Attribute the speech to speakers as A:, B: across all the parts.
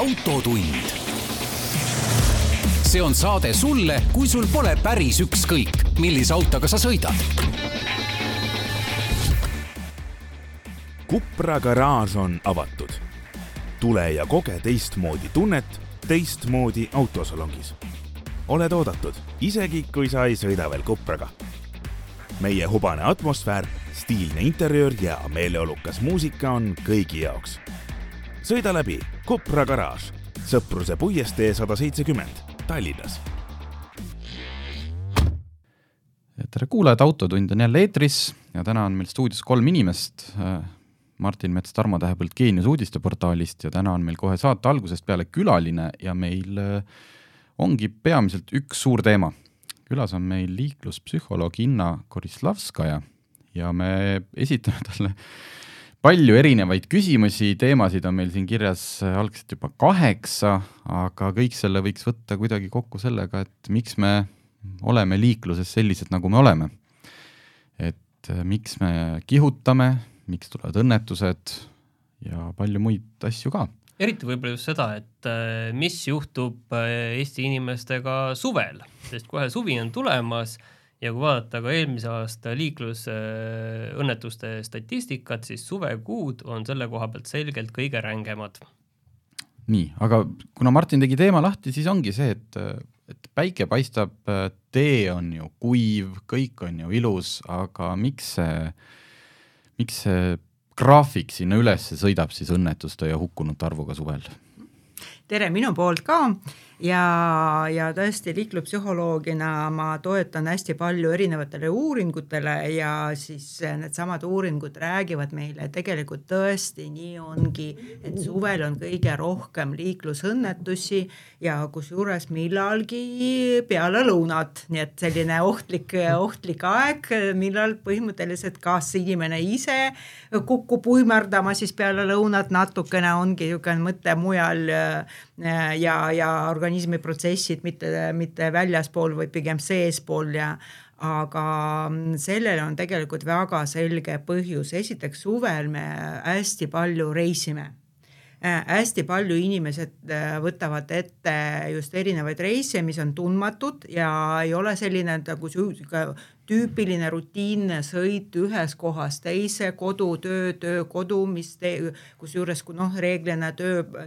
A: Autotund. See on saade sulle, kui sul pole päris ükskõik, millise autoga sa sõidad.
B: Cupra garaaž on avatud. Tule ja koge teistmoodi tunnet teistmoodi autosalongis. Oled oodatud, isegi kui sa ei sõida veel Cupraga. Meie hubane atmosfäär, stiilne interiöör ja meeleolukas muusika on kõigi jaoks. Sõida läbi Cupra garaaž, Sõpruse puiestee 170, Tallinnas.
C: Tere kuulajad, Autotund on jälle eetris ja täna on meil stuudios 3 inimest. Martin Mets Tarmo Tähepõld Geenius uudisteportaalist ja täna on meil kohe saate algusest peale külaline ja meil ongi peamiselt üks suur teema. Külas on meil liikluspsühholoog Inna Korislavskaja ja me esitame talle palju erinevaid küsimusi, teemasid on meil siin kirjas algselt juba 8, aga kõik selle võiks võtta kuidagi kokku sellega, et miks me oleme liikluses sellised, nagu me oleme. Et miks me kihutame, miks tulevad õnnetused ja palju muid asju ka.
D: Eriti võib-olla just seda, et mis juhtub Eesti inimestega suvel, sest kohe suvi on tulemas ja kui vaadata ka eelmise aasta liiklusõnnetuste statistikat, siis suvekuud on selle koha pealt selgelt kõige rängemad.
C: Nii, aga kuna Martin tegi teema lahti, siis ongi see, et päike paistab, tee on ju kuiv, kõik on ju ilus, aga miks see graafik sinna üles sõidab siis õnnetuste ja hukkunute arvuga suvel?
E: Tere minu poolt ka ja tõesti liikluspsühholoogina ma toetan hästi palju erinevatele uuringutele ja siis need samad uuringud räägivad meile, tegelikult tõesti nii ongi, et suvel on kõige rohkem liiklusõnnetusi ja kusjuures millalgi peale lõunat, nii et selline ohtlik aeg, millal põhimõtteliselt kas inimene ise kukub uimerdama siis peale lõunat, natukene ongi mõte mujal ja organismi protsessid mitte väljaspool või pigem seespool aga sellele on tegelikult väga selge põhjus. Esiteks suvel me hästi palju reisime. Hästi palju inimesed võtavad ette just erinevaid reise, mis on tundmatud ja ei ole selline tüüpiline rutiinne sõit ühes kohas teise, kodu, töö, kodu, kus juures reeglina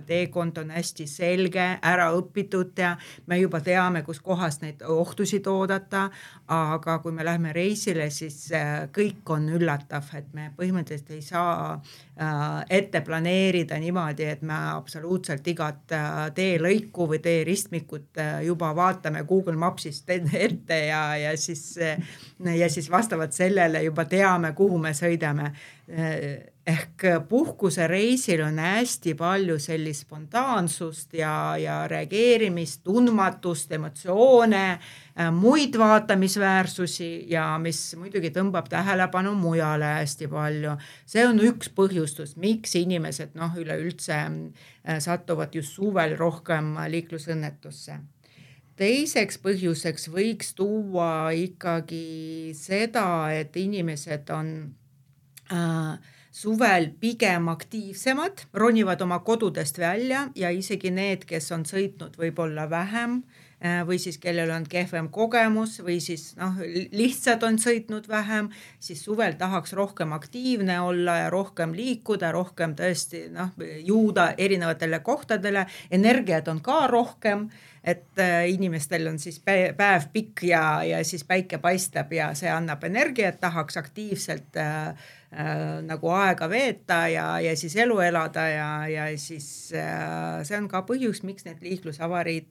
E: teekond on hästi selge, ära õpitud ja me juba teame, kus kohas neid ohtusid oodata, aga kui me lähme reisile, siis kõik on üllatav, et me põhimõtteliselt ei saa ette planeerida niimoodi, et me absoluutselt igat teelõiku või teeristmikut juba vaatame Google Mapsist ette ja siis vastavalt sellele juba teame, kuhu me sõidame. Ehk puhkuse reisil on hästi palju sellist spontaansust ja reageerimist, tundmatust, emotsioone, muid vaatamisväärsusi ja mis muidugi tõmbab tähelepanu mujale hästi palju. See on üks põhjustus, miks inimesed üleüldse satuvad just suvel rohkem liiklusõnnetusse. Teiseks põhjuseks võiks tuua ikkagi seda, et inimesed on suvel pigem aktiivsemad, ronivad oma kodudest välja ja isegi need, kes on sõitnud võib-olla vähem või siis kellel on kehvem kogemus või siis lihtsalt on sõitnud vähem, siis suvel tahaks rohkem aktiivne olla ja rohkem liikuda, rohkem tõesti juuda erinevatele kohtadele, energiat on ka rohkem, et inimestel on siis päev pikk ja siis päike paistab ja see annab energiat, tahaks aktiivselt nagu aega veeta ja siis elu elada ja siis see on ka põhjus, miks need liiklusavariid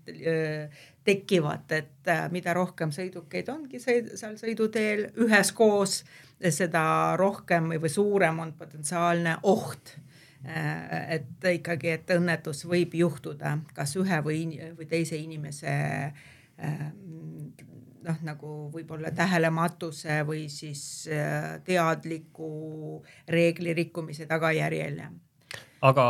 E: tekivad, et mida rohkem sõidukeid ongi seal sõiduteel üheskoos, seda rohkem või suurem on potentsiaalne oht. Et ikkagi, et õnnetus võib juhtuda kas ühe või teise inimese nagu võib-olla tähelematuse või siis teadliku reegli rikkumise tagajärjel.
D: Aga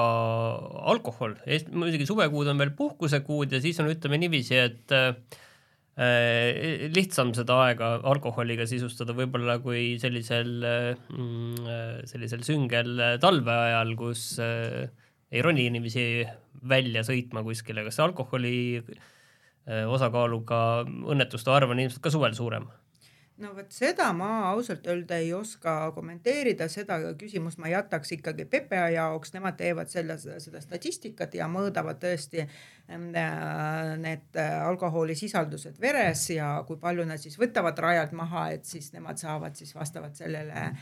D: alkohol, muidugi suvekuud on veel puhkusekuud ja siis on ütleme niiviisi, et lihtsam seda aega alkoholiga sisustada võib-olla kui sellisel süngel talve ajal, kus ei roni inimesi välja sõitma kuskile, kas alkoholi osakaaluga õnnetuste arv on ilmselt ka suvel suurem?
E: No võt seda ma ausalt öelda ei oska kommenteerida, seda küsimust ma jätaks ikkagi PPA jaoks, nemad teevad seda statistikat ja mõõdavad tõesti need alkoholisisaldused veres ja kui palju nad siis võtavad rajalt maha, et siis nemad saavad siis vastavalt sellele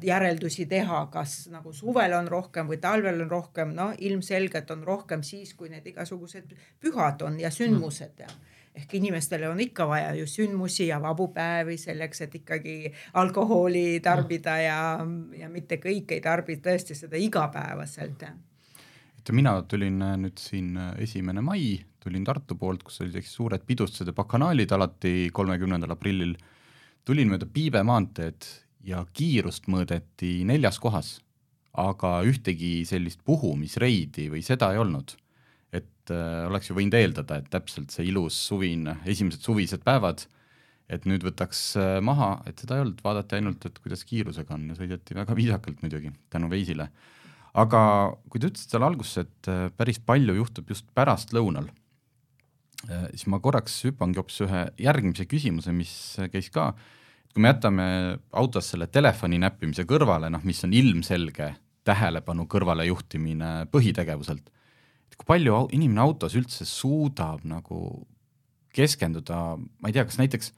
E: järeldusi teha, kas nagu suvel on rohkem või talvel on rohkem, no ilmselgelt on rohkem siis, kui need igasugused pühad on ja sündmused ja ehk inimestele on ikka vaja ju sündmusi ja vabu päevi selleks, et ikkagi alkoholi tarbida ja mitte kõik ei tarbi tõesti seda igapäevaselt.
C: Mina tulin nüüd siin 1. mai, tulin Tartu poolt, kus oli suured pidustused ja bakanaalid alati 30. aprillil. Tulin mööda Piibe maanteed ja kiirust mõõdeti 4 kohas, aga ühtegi sellist puhumisreidi või seda ei olnud. Et oleks ju võinud eeldada, et täpselt see ilus esimesed suvised päevad, et nüüd võtaks maha, et seda ei olnud, vaadati ainult, et kuidas kiirusega on ja sõideti väga viisakalt muidugi tänu Veisile. Aga kui te ütlesid seal alguses, et päris palju juhtub just pärast lõunal, siis ma korraks hüppangi hoopis ühe järgmise küsimuse, mis käis ka, et kui me jätame autos selle telefoni näppimise kõrvale, mis on ilmselge tähelepanu kõrvale juhtimine põhitegevuselt, kui palju inimene autos üldse suudab nagu keskenduda, ma ei tea, kas näiteks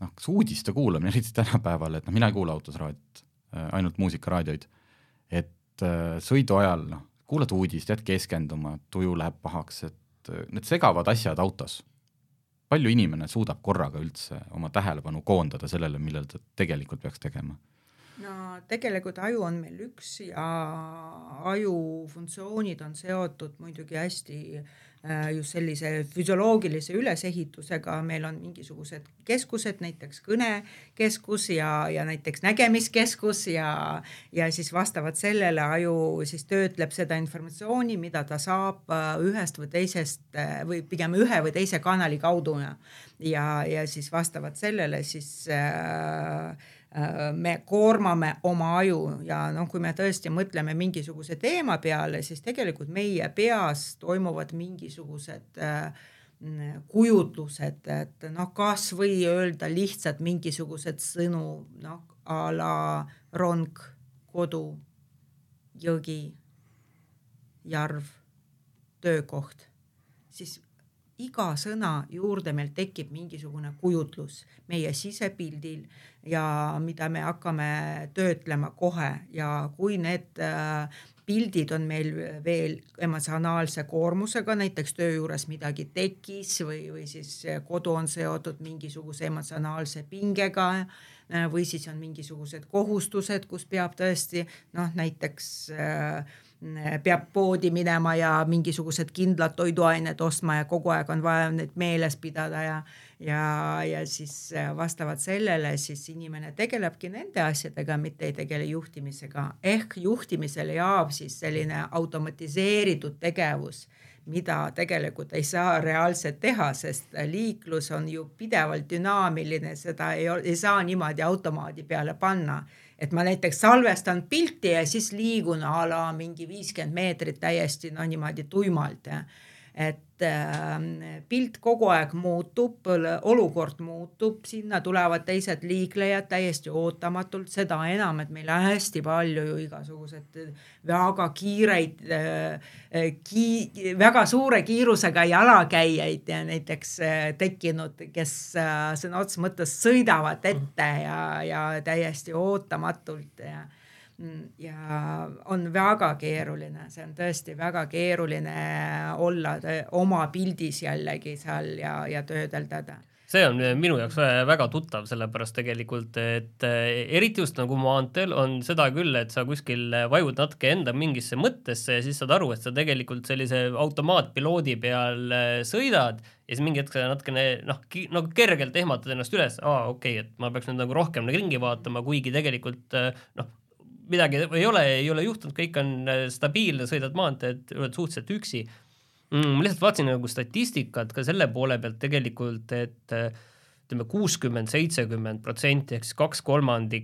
C: kas uudiste kuulamine, eriti tänapäeval, et mina ei kuula autos raadiot, ainult muusikaraadioid, et sõidu ajal kuulad uudist, jääd keskenduma, tuju läheb pahaks, et need segavad asjad autos. Palju inimene suudab korraga üldse oma tähelepanu koondada sellele, millel ta tegelikult peaks tegema?
E: No tegelikult aju on meil üks ja aju funktsioonid on seotud muidugi hästi just sellise füsioloogilise ülesehitusega. Meil on mingisugused keskused, näiteks kõnekeskus ja näiteks nägemiskeskus ja siis vastavalt sellele aju siis töötleb seda informatsiooni, mida ta saab ühest või teisest või pigem ühe või teise kanali kaudu ja siis vastavalt sellele siis me koormame oma aju ja kui me tõesti mõtleme mingisuguse teema peale, siis tegelikult meie peas toimuvad mingisugused kujutlused, et kas või öelda lihtsalt mingisugused sõnu, a la rong, kodu, jõgi, järv, töökoht, siis iga sõna juurde meil tekib mingisugune kujutlus meie sisepildil ja mida me hakkame töötlema kohe ja kui need pildid on meil veel emotsionaalse koormusega, näiteks töö juures midagi tekkis või siis kodu on seotud mingisuguse emotsionaalse pingega või siis on mingisugused kohustused, kus peab tõesti näiteks peab poodi minema ja mingisugused kindlad toiduained ostma ja kogu aeg on vaja neid meeles pidada ja siis vastavalt sellele siis inimene tegelebki nende asjadega, mitte ei tegele juhtimisega. Ehk juhtimisele jaab siis selline automatiseeritud tegevus, mida tegelikult ei saa reaalselt teha, sest liiklus on ju pidevalt dünaamiline, seda ei saa niimoodi automaadi peale panna. Et ma näiteks salvestan pilti ja siis liigun a la mingi 50 meetrit täiesti niimoodi tuimalt. Et pilt kogu aeg muutub, olukord muutub, sinna tulevad teised liiklejad täiesti ootamatult, seda enam, et meil on hästi palju ju igasugused väga kiireid, väga suure kiirusega jalakäijaid ja näiteks tekkinud, kes sõna otseses mõttes sõidavad ette ja täiesti ootamatult ja on väga keeruline, see on tõesti väga keeruline olla oma pildis jällegi seal ja töödeldada.
D: See on minu jaoks väga tuttav, sellepärast tegelikult, et eriti just nagu maanteel on seda küll, et sa kuskil vajud natuke enda mingisse mõttesse ja siis saad aru, et sa tegelikult sellise automaatpiloodi peal sõidad ja siis mingi hetk sa natukene nagu kergelt ehmatad ennast üles, et ma peaks nüüd nagu rohkem ringi vaatama, kuigi tegelikult midagi ei ole juhtunud, kõik on stabiilne, sõidad maanteed, oled suhteliselt üksi. Ma lihtsalt vaatasin nagu statistikat ka selle poole pealt tegelikult, et ütleme 60-70% ehk siis 2/3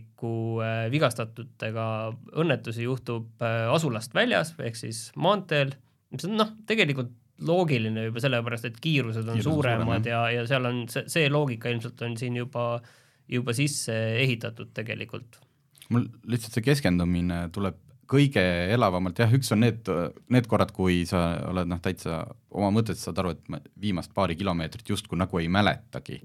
D: vigastatutega õnnetusi juhtub asulast väljas ehk siis maanteel, mis on tegelikult loogiline juba sellepärast, et kiirused on suuremad ja seal on see loogika ilmselt on siin juba sisse ehitatud tegelikult.
C: Mul lihtsalt see keskendumine tuleb kõige elavamalt, jah, üks on need korrad, kui sa oled täitsa oma mõtet saad aru, et viimast paari kilomeetrit justkui nagu ei mäletagi.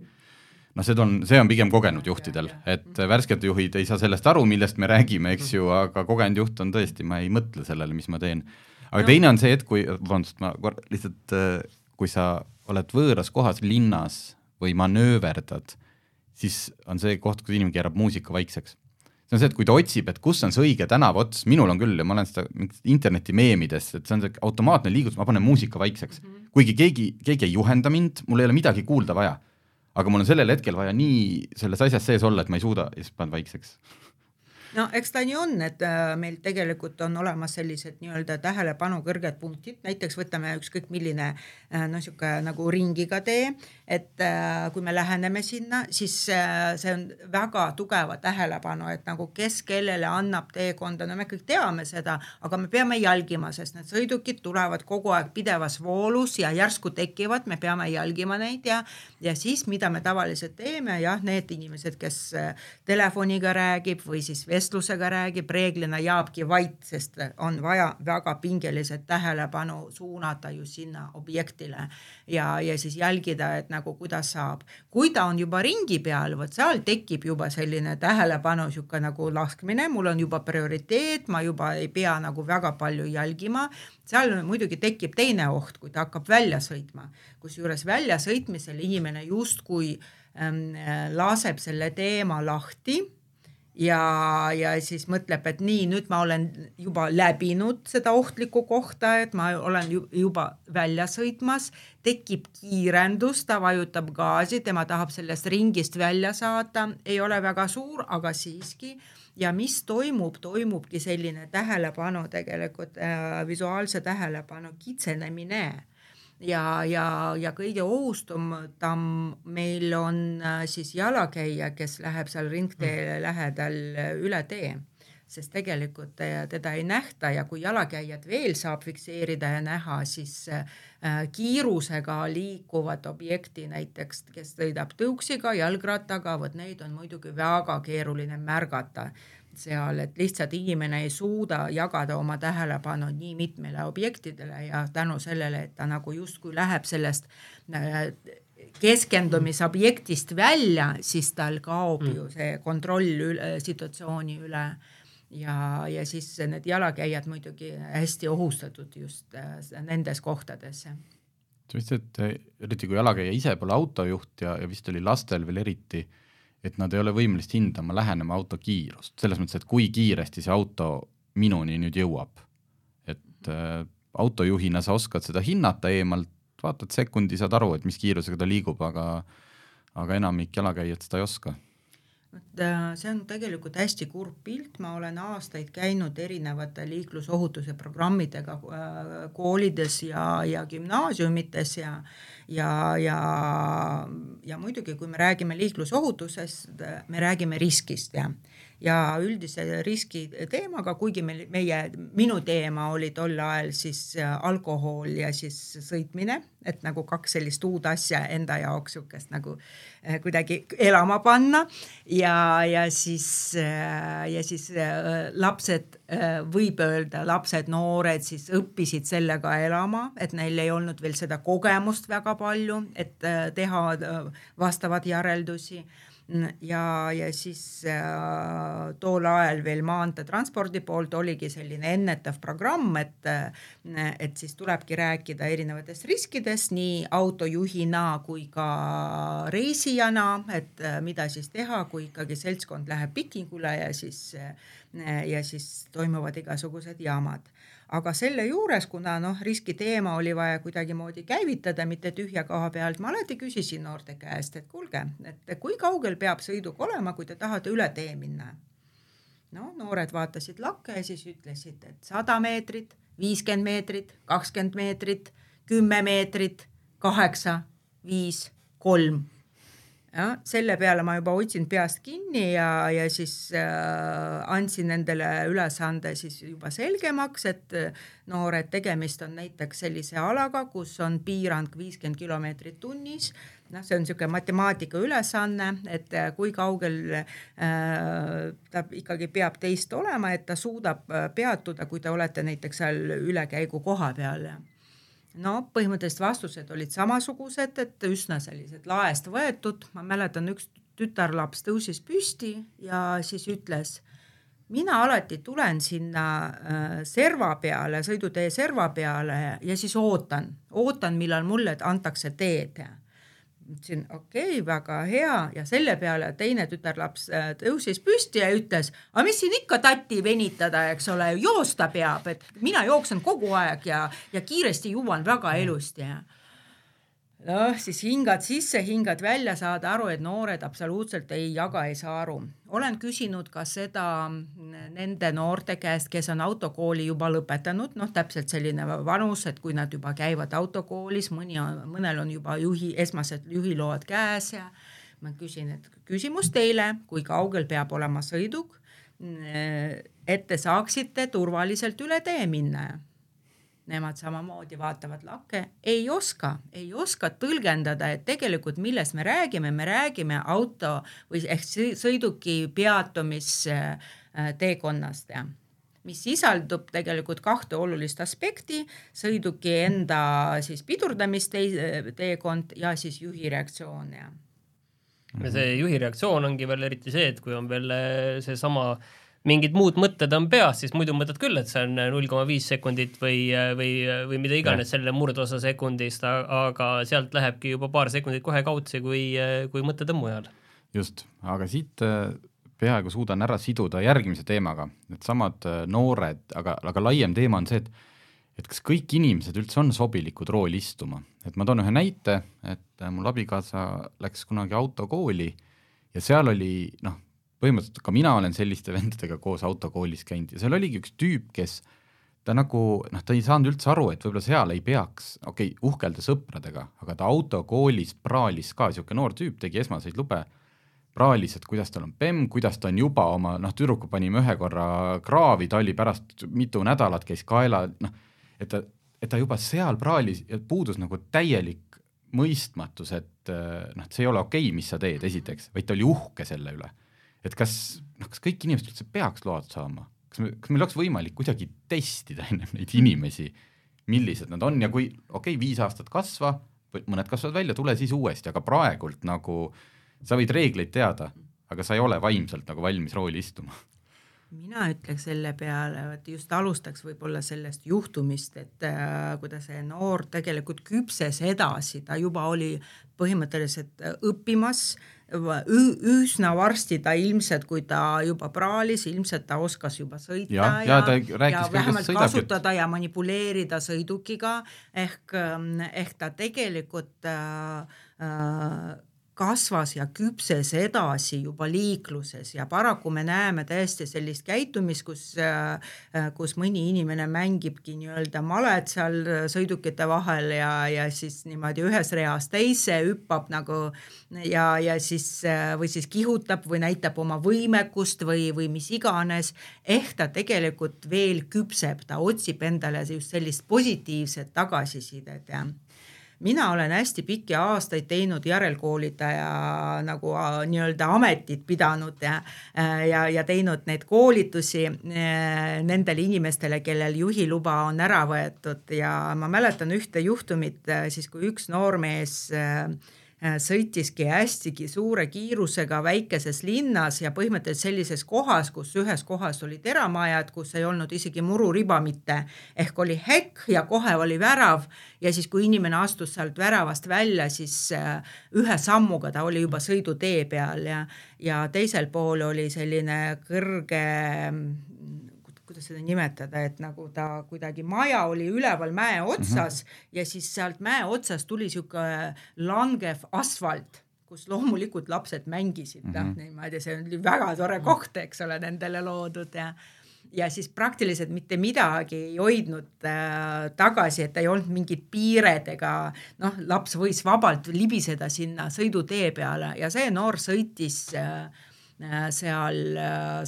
C: See on pigem kogenud juhtidel, et värsked juhid ei saa sellest aru, millest me räägime, eks ju, aga kogenud juht on tõesti, ma ei mõtle sellele, mis ma teen. Aga teine on see, et kui sa oled võõras kohas linnas või manööverdad, siis on see koht, kus inimene keerab muusika vaikseks. See on see, et kui ta otsib, et kus on see õige tänavots, minul on küll ja ma olen seda interneti meemides, et see on see automaatne liigutus, ma panen muusika vaikseks. Kuigi keegi ei juhenda mind, mul ei ole midagi kuulda vaja. Aga mul on sellel hetkel vaja nii selles asjas sees olla, et ma ei suuda ja siis panen vaikseks.
E: No eks ta nii on, et meil tegelikult on olemas sellised nii-öelda tähelepanu kõrged punktid, näiteks võtame ükskõik milline nagu ringiga tee, et kui me läheneme sinna, siis see on väga tugeva tähelepanu, et nagu kes kellele annab teekonda, no me kõik teame seda, aga me peame jälgima, sest need sõidukid tulevad kogu aeg pidevas voolus ja järsku tekivad, me peame jälgima neid ja siis mida me tavaliselt teeme, jah, need inimesed, kes telefoniga räägib või siis vestlusega räägib, reeglina jaabki vait, sest on vaja väga pingeliselt tähelepanu suunata ju sinna objektile ja siis jälgida, et nagu kuidas saab. Kui ta on juba ringi peal, võt seal tekib juba selline tähelepanu siuke nagu laskmine, mul on juba prioriteet, ma juba ei pea nagu väga palju jälgima. Seal muidugi tekib teine oht, kui ta hakkab välja sõitma, kus juures välja sõitmisel inimene justkui laseb selle teema lahti ja siis mõtleb, et nii, nüüd ma olen juba läbinud seda ohtlikku kohta, et ma olen juba välja sõitmas, tekib kiirendus, ta vajutab gaasi, tema tahab sellest ringist välja saada, ei ole väga suur, aga siiski. Ja mis toimubki selline tähelepanu tegelikult, visuaalse tähelepanu kitsenemine. Ja kõige ohustum meil on siis jalakäija, kes läheb seal ringteele lähedal üle tee, sest tegelikult teda ei nähta ja kui jalakäijad veel saab fikseerida ja näha, siis kiirusega liikuvad objekti näiteks, kes sõidab tõuksiga, jalgrattaga, neid on muidugi väga keeruline märgata seal, et lihtsalt inimene ei suuda jagada oma tähelepanu nii mitmele objektidele ja tänu sellele, et ta nagu justkui läheb sellest keskendumisobjektist välja, siis tal kaob ju see kontroll situatsiooni üle ja siis need jalakäijad muidugi hästi ohustatud just nendes kohtades.
C: See vist, et eriti kui jalakäija ise pole autojuht ja vist oli lastel veel eriti, et nad ei ole võimelist hindama lähenema auto kiirust. Selles mõttes, et kui kiiresti see auto minuni nüüd jõuab. Et autojuhina sa oskad seda hinnata eemalt, vaatad sekundi, saad aru, et mis kiirusega ta liigub, aga enamik jalakäijad seda ei oska.
E: See on tegelikult hästi kurb pilt, ma olen aastaid käinud erinevate liiklusohutuse programmidega koolides ja gümnaasiumites ja muidugi, kui me räägime liiklusohutusest, me räägime riskist ja üldise riski teemaga, kuigi minu teema oli tol ajal siis alkohol ja siis sõitmine, et nagu kaks sellist uud asja enda jaoks sukest nagu kuidagi elama panna ja siis lapsed, võib öelda, lapsed, noored siis õppisid sellega elama, et neil ei olnud veel seda kogemust väga palju, et teha vastavad järeldusi ja siis tool ajal veel maanteetranspordi poolt oligi selline ennetav programm, et siis tulebki rääkida erinevatest riskidest nii autojuhina kui ka reisijana, et mida siis teha, kui ikkagi seltskond läheb pikingule ja siis toimuvad igasugused jaamad. Aga selle juures, kuna riski teema oli vaja kuidagi moodi käivitada, mitte tühja koha pealt, ma alati küsisin noorte käest, et kuulge, et kui kaugel peab sõiduk olema, kui te tahate üle tee minna. Noored vaatasid lakke ja siis ütlesid, et 100 meetrit, 50 meetrit, 20 meetrit, 10 meetrit, 8, 5, 3. Ja, selle peale ma juba otsin peast kinni ja siis andsin nendele ülesande siis juba selgemaks, et noored, tegemist on näiteks sellise alaga, kus on piirang 50 kilomeetrit tunnis. See on niisugune matemaatika ülesanne, et kui kaugel ta ikkagi peab teist olema, et ta suudab peatuda, kui te olete näiteks seal ülekäigu koha peal. No põhimõtteliselt vastused olid samasugused, et üsna sellised laest võetud. Ma mäletan, üks tütarlaps tõusis püsti ja siis ütles, mina alati tulen sinna serva peale, sõidutee serva peale ja siis ootan, millal mulle antakse teed. Ütlesin, okei, väga hea ja selle peale teine tütarlaps tõusis püsti ja ütles, aga mis siin ikka tatti venitada, eks ole, joosta peab, et mina jooksen kogu aeg ja kiiresti jõuan väga elusti. No, siis hingad sisse, hingad välja, saada aru, et noored absoluutselt ei saa aru. Olen küsinud ka seda nende noorte käest, kes on autokooli juba lõpetanud, täpselt selline vanus, et kui nad juba käivad autokoolis, mõnel on juba esmased juhiload käes ja ma küsin, et küsimus teile, kui kaugel peab olema sõiduk, et te saaksite turvaliselt üle tee minna. Nemad samamoodi vaatavad lakke, ei oska tõlgendada, et tegelikult millest me räägime auto või ehk sõiduki peatumisteekonnast, mis sisaldub tegelikult 2 olulist aspekti, sõiduki enda siis pidurdamisteekond ja siis juhi reaktsioon.
D: Ja see juhi reaktsioon ongi veel eriti see, et kui on veel see sama mingid muud mõtted on peas, siis muidu mõtled küll, et see on 0,5 sekundit või mida iganes selle murdosa sekundist, aga sealt lähebki juba paar sekundit kohe kautsi, kui mõtted on mujal.
C: Just, aga siit peaaegu suudan ära siduda järgmise teemaga, et samad noored, aga laiem teema on see, et kas kõik inimesed üldse on sobilikud rooli istuma. Et ma toon ühe näite, et mul abikaasa läks kunagi autokooli ja seal oli, põhimõtteliselt ka mina olen selliste vendadega koos autokoolis käinud ja seal oligi üks tüüp, kes ta ta ei saanud üldse aru, et võib-olla seal ei peaks, uhkelda sõpradega, aga ta autokoolis praalis ka, siuke noor tüüp tegi esmaseid lube, praalis, et kuidas tal on PEM, kuidas ta on juba oma, tüdruku panime ühe korra kraavi, ta oli pärast mitu nädalat käis kaela, et ta juba seal praalis ja puudus täielik mõistmatus, et see ei ole okei, mis sa teed esiteks, vaid ta oli uhke selle üle. Et kas kõik inimesed üldse peaks load saama? Kas meil oleks võimalik kuidagi testida enne neid inimesi, millised nad on ja kui 5 aastat kasva, mõned kasvavad välja, tule siis uuesti, aga praegult sa võid reegleid teada, aga sa ei ole vaimselt valmis rooli istuma.
E: Mina ütleks selle peale, et just alustaks võib-olla sellest juhtumist, et kuidas see noor tegelikult küpses edasi, ta juba oli põhimõtteliselt õppimas, üsna varsti ta ilmselt, kui ta juba praalis, ilmselt ta oskas juba sõita ja vähemalt kasutada ja manipuleerida sõidukiga, ehk ta tegelikult kasvas ja küpses edasi juba liikluses ja paraku me näeme tõesti sellist käitumist, kus mõni inimene mängibki nii-öelda malet seal sõidukite vahel ja siis niimoodi ühes reas teise hüppab ja siis või siis kihutab või näitab oma võimekust või mis iganes, ehk ta tegelikult veel küpseb, ta otsib endale just sellist positiivset tagasisidet ja mina olen hästi pikki aastaid teinud järelkoolitaja nii-öelda ametit pidanud ja teinud neid koolitusi nendele inimestele, kellel juhiluba on ära võetud ja ma mäletan ühte juhtumit, siis kui üks noormees sõitiski hästigi suure kiirusega väikeses linnas ja põhimõtteliselt sellises kohas, kus ühes kohas oli teramajad, kus ei olnud isegi mururiba mitte, ehk oli häkk ja kohe oli värav ja siis kui inimene astus sealt väravast välja, siis ühe sammuga ta oli juba sõidutee peal ja teisel pool oli selline kõrge, kuidas seda nimetada, et ta kuidagi maja oli üleval mäe otsas ja siis sealt mäe otsas tuli siuke langev asfalt, kus loomulikult lapsed mängisid. Niimoodi, see oli väga tore koht, eks ole, nendele loodud ja siis praktiliselt mitte midagi ei hoidnud tagasi, et ei olnud mingid piired ega laps võis vabalt libiseda sinna sõidutee peale ja see noor sõitis seal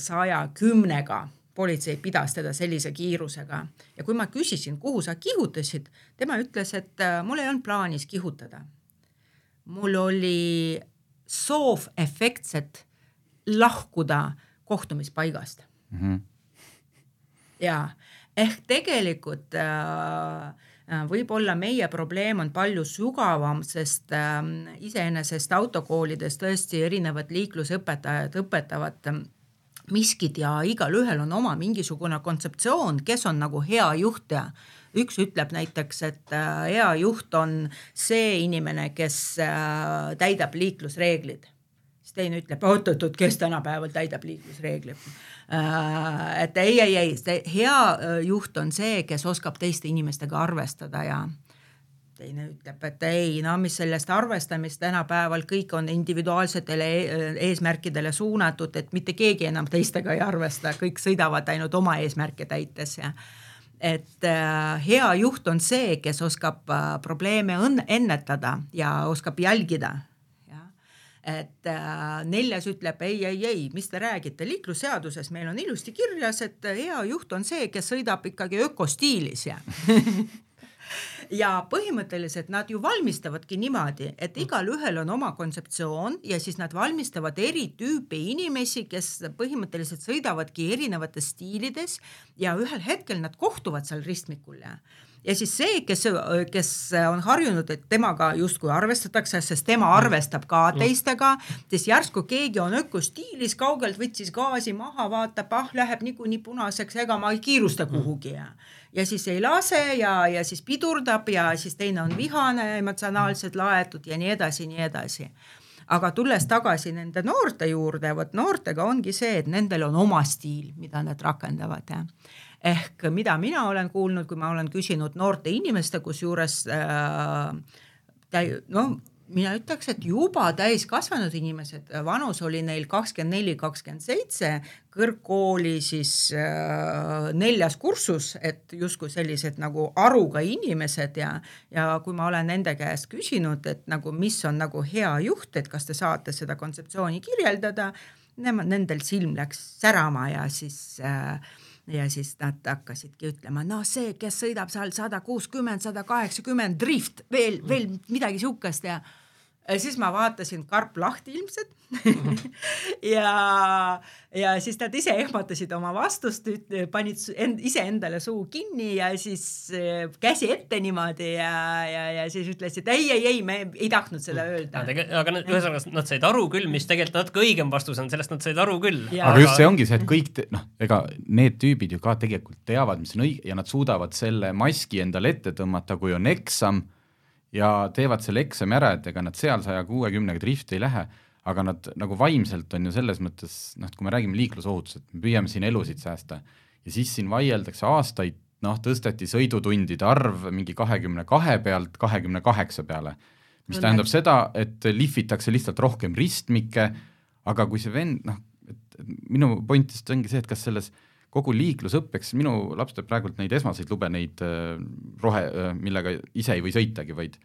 E: 110-ga. Politsei pidas teda sellise kiirusega ja kui ma küsisin, kuhu sa kihutasid, tema ütles, et mul ei olnud plaanis kihutada. Mul oli soov efektset lahkuda kohtumispaigast. Ja ehk tegelikult võib-olla meie probleem on palju sügavam, sest iseenesest autokoolides tõesti erinevad liiklusõpetajad õpetavad miskid ja igal ühel on oma mingisugune kontseptsioon, kes on nagu hea juht ja üks ütleb näiteks, et hea juht on see inimene, kes täidab liiklusreeglid. Siis teine ütleb, oot, kes tänapäeval täidab liiklusreeglid. Et ei, hea juht on see, kes oskab teiste inimestega arvestada ja teine ütleb, et ei, mis sellest arvestamist tänapäeval kõik on individuaalsetele eesmärkidele suunatud, et mitte keegi enam teistega ei arvesta, kõik sõidavad ainult oma eesmärke täites ja et hea juht on see, kes oskab probleeme ennetada ja oskab jälgida. Ja. Et neljas ütleb, ei, mis te räägite, liiklusseaduses meil on ilusti kirjas, et hea juht on see, kes sõidab ikkagi ökostiilis ja ja põhimõtteliselt nad ju valmistavadki niimoodi, et igal ühel on oma kontseptsioon ja siis nad valmistavad eri tüüpi inimesi, kes põhimõtteliselt sõidavadki erinevates stiilides ja ühel hetkel nad kohtuvad seal ristmikul ja siis see, kes on harjunud, et temaga justkui arvestatakse, sest tema arvestab ka teistega, siis järsku keegi on ökostiilis, kaugelt võtsis gaasi maha, vaatab, läheb niikuinii punaseks, ega ma ei kiirusta kuhugi ja siis ei lase ja siis pidurdab ja siis teine on vihane, emotsionaalselt laetud ja nii edasi. Aga tulles tagasi nende noorte juurde, noortega ongi see, et nendel on oma stiil, mida nad rakendavad ehk mida mina olen kuulnud, kui ma olen küsinud noorte inimeste, kus juures mina ütleks, et juba täiskasvanud inimesed, vanus oli neil 24-27, kõrgkooli siis 4. kursus, et justkui sellised nagu aruga inimesed ja kui ma olen nende käest küsinud, et nagu mis on nagu hea juht, et kas te saate seda kontseptsiooni kirjeldada, nendel silm läks särama ja siis nad hakkasidki ütlema, see, kes sõidab seal 160, 180 drift, veel midagi sihukest ja siis ma vaatasin karp lahti ilmselt ja siis nad ise ehmatasid oma vastust, panid ise endale suu kinni ja siis käsi ette niimoodi ja siis ütlesid, ei, me ei tahtnud seda öelda.
D: Aga ühesõnaga nad said aru küll, mis tegelikult natuke õigem vastus on, sellest nad said aru küll.
C: Aga just see ongi see, et kõik, ega need tüübid ju ka tegelikult teavad, mis on õige ja nad suudavad selle maski endale ette tõmmata, kui on eksam ja teevad selle eksami ära, et ega nad seal 160 drifti ei lähe, aga nad nagu vaimselt on ju selles mõttes, kui me räägime liiklusohutusest, me püüame siin elusid säästa ja siis siin vaieldakse aastaid, tõsteti sõidutundide arv mingi 22 pealt 28 peale, mis tähendab seda, et lihvitakse lihtsalt rohkem ristmikke, aga kui see vend, minu pointist ongi see, et kas selles kogu liiklusõppeks, minu laps teeb praegult neid esmaseid lube, neid millega ise ei või sõitagi, vaid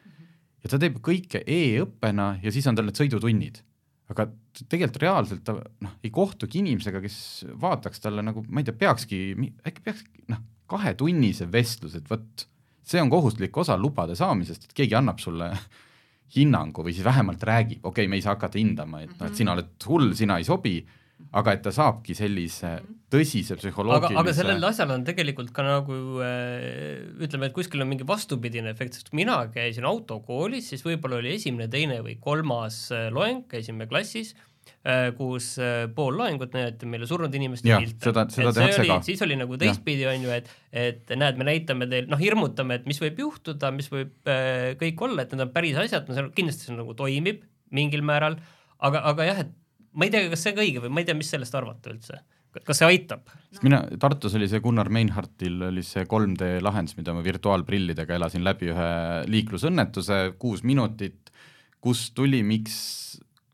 C: ja ta teeb kõike e-õppena ja siis on tal need sõidutunnid. Aga tegelikult reaalselt ta ei kohtugi inimesega, kes vaataks talle nagu, ma ei tea, äkki peaks 2-tunnise vestlus, et võt, see on kohustuslik osa lubade saamisest, et keegi annab sulle hinnangu või siis vähemalt räägib, okei, me ei saa hakata hindama, et sina oled hull, sina ei sobi, aga et ta saabki sellise tõsise psühholoogilise... Aga
D: sellel asjal on tegelikult ka nagu, ütleme, et kuskil on mingi vastupidine efekt, sest mina käisin autokoolis, siis võib-olla oli 1., 2. või 3. loeng, käisime klassis, kus pool loengut näidati meile surnud inimeste pilte.
C: Seda tehakse ka.
D: Siis oli nagu teistpidi on ju, et näed, me näitame teil, hirmutame, et mis võib juhtuda, mis võib kõik olla, et need on päris asjad, kindlasti see nagu toimib mingil määral, aga jah, et ma ei tea, kas see ka õige või ma ei tea, mis sellest arvata üldse. Kas see aitab?
C: Tartus oli see Gunnar Meinhardtil oli see 3D lahendus, mida ma virtuaalprillidega elasin läbi ühe liiklusõnnetuse, 6 minutit, kus tuli, miks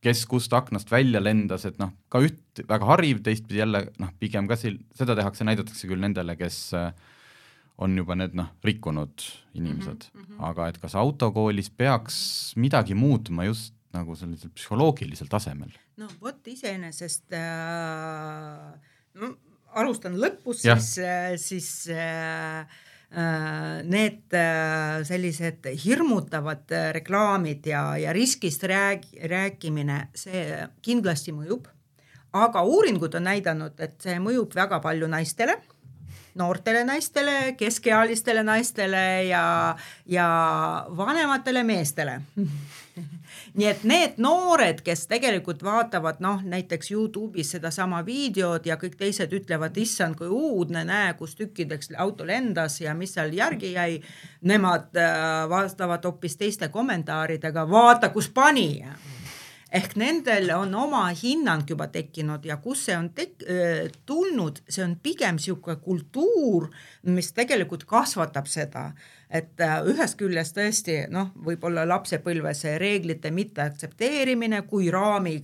C: kes kust aknast välja lendas, et ka üht väga hariv, teistpidi jälle pigem ka seda näidatakse küll nendele, kes on juba need rikkunud inimesed. Aga et kas autokoolis peaks midagi muutuma just nagu sellisel psühholoogilisel tasemel?
E: No vot iseenesest alustan lõpus, siis need sellised hirmutavad reklaamid ja riskist rääkimine, see kindlasti mõjub, aga uuringud on näidanud, et see mõjub väga palju naistele, noortele naistele, keskealistele naistele ja vanematele meestele. Nii et need noored, kes tegelikult vaatavad näiteks YouTube'is seda sama videod ja kõik teised ütlevad, issand, kui uudne, näe, kus tükkideks auto lendas ja mis seal järgi jäi, nemad vastavad hoopis teiste kommentaaridega, vaata, kus pani. Ehk nendel on oma hinnang juba tekkinud ja kus see on tulnud, see on pigem siuke kultuur, mis tegelikult kasvatab seda, et ühest küljest tõesti, võib-olla lapsepõlves reeglite mitte aktsepteerimine kui raami,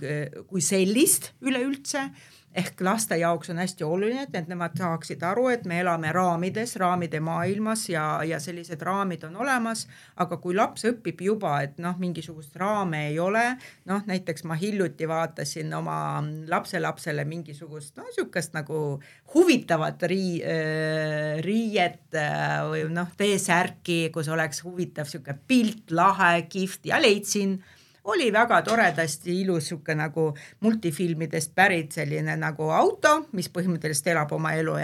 E: kui sellist üleüldse, ehk laste jaoks on hästi oluline, et nemad saaksid aru, et me elame raamide maailmas ja sellised raamid on olemas, aga kui laps õpib juba, et mingisugust raame ei ole, näiteks ma hiljuti vaatasin oma lapselapsele mingisugust niisugust nagu huvitavat riiet või T-särki, kus oleks huvitav siuke pilt, lahe, kihvt ja leidsin, oli väga toredasti ilus siuke nagu multifilmidest pärit selline nagu auto, mis põhimõtteliselt elab oma elu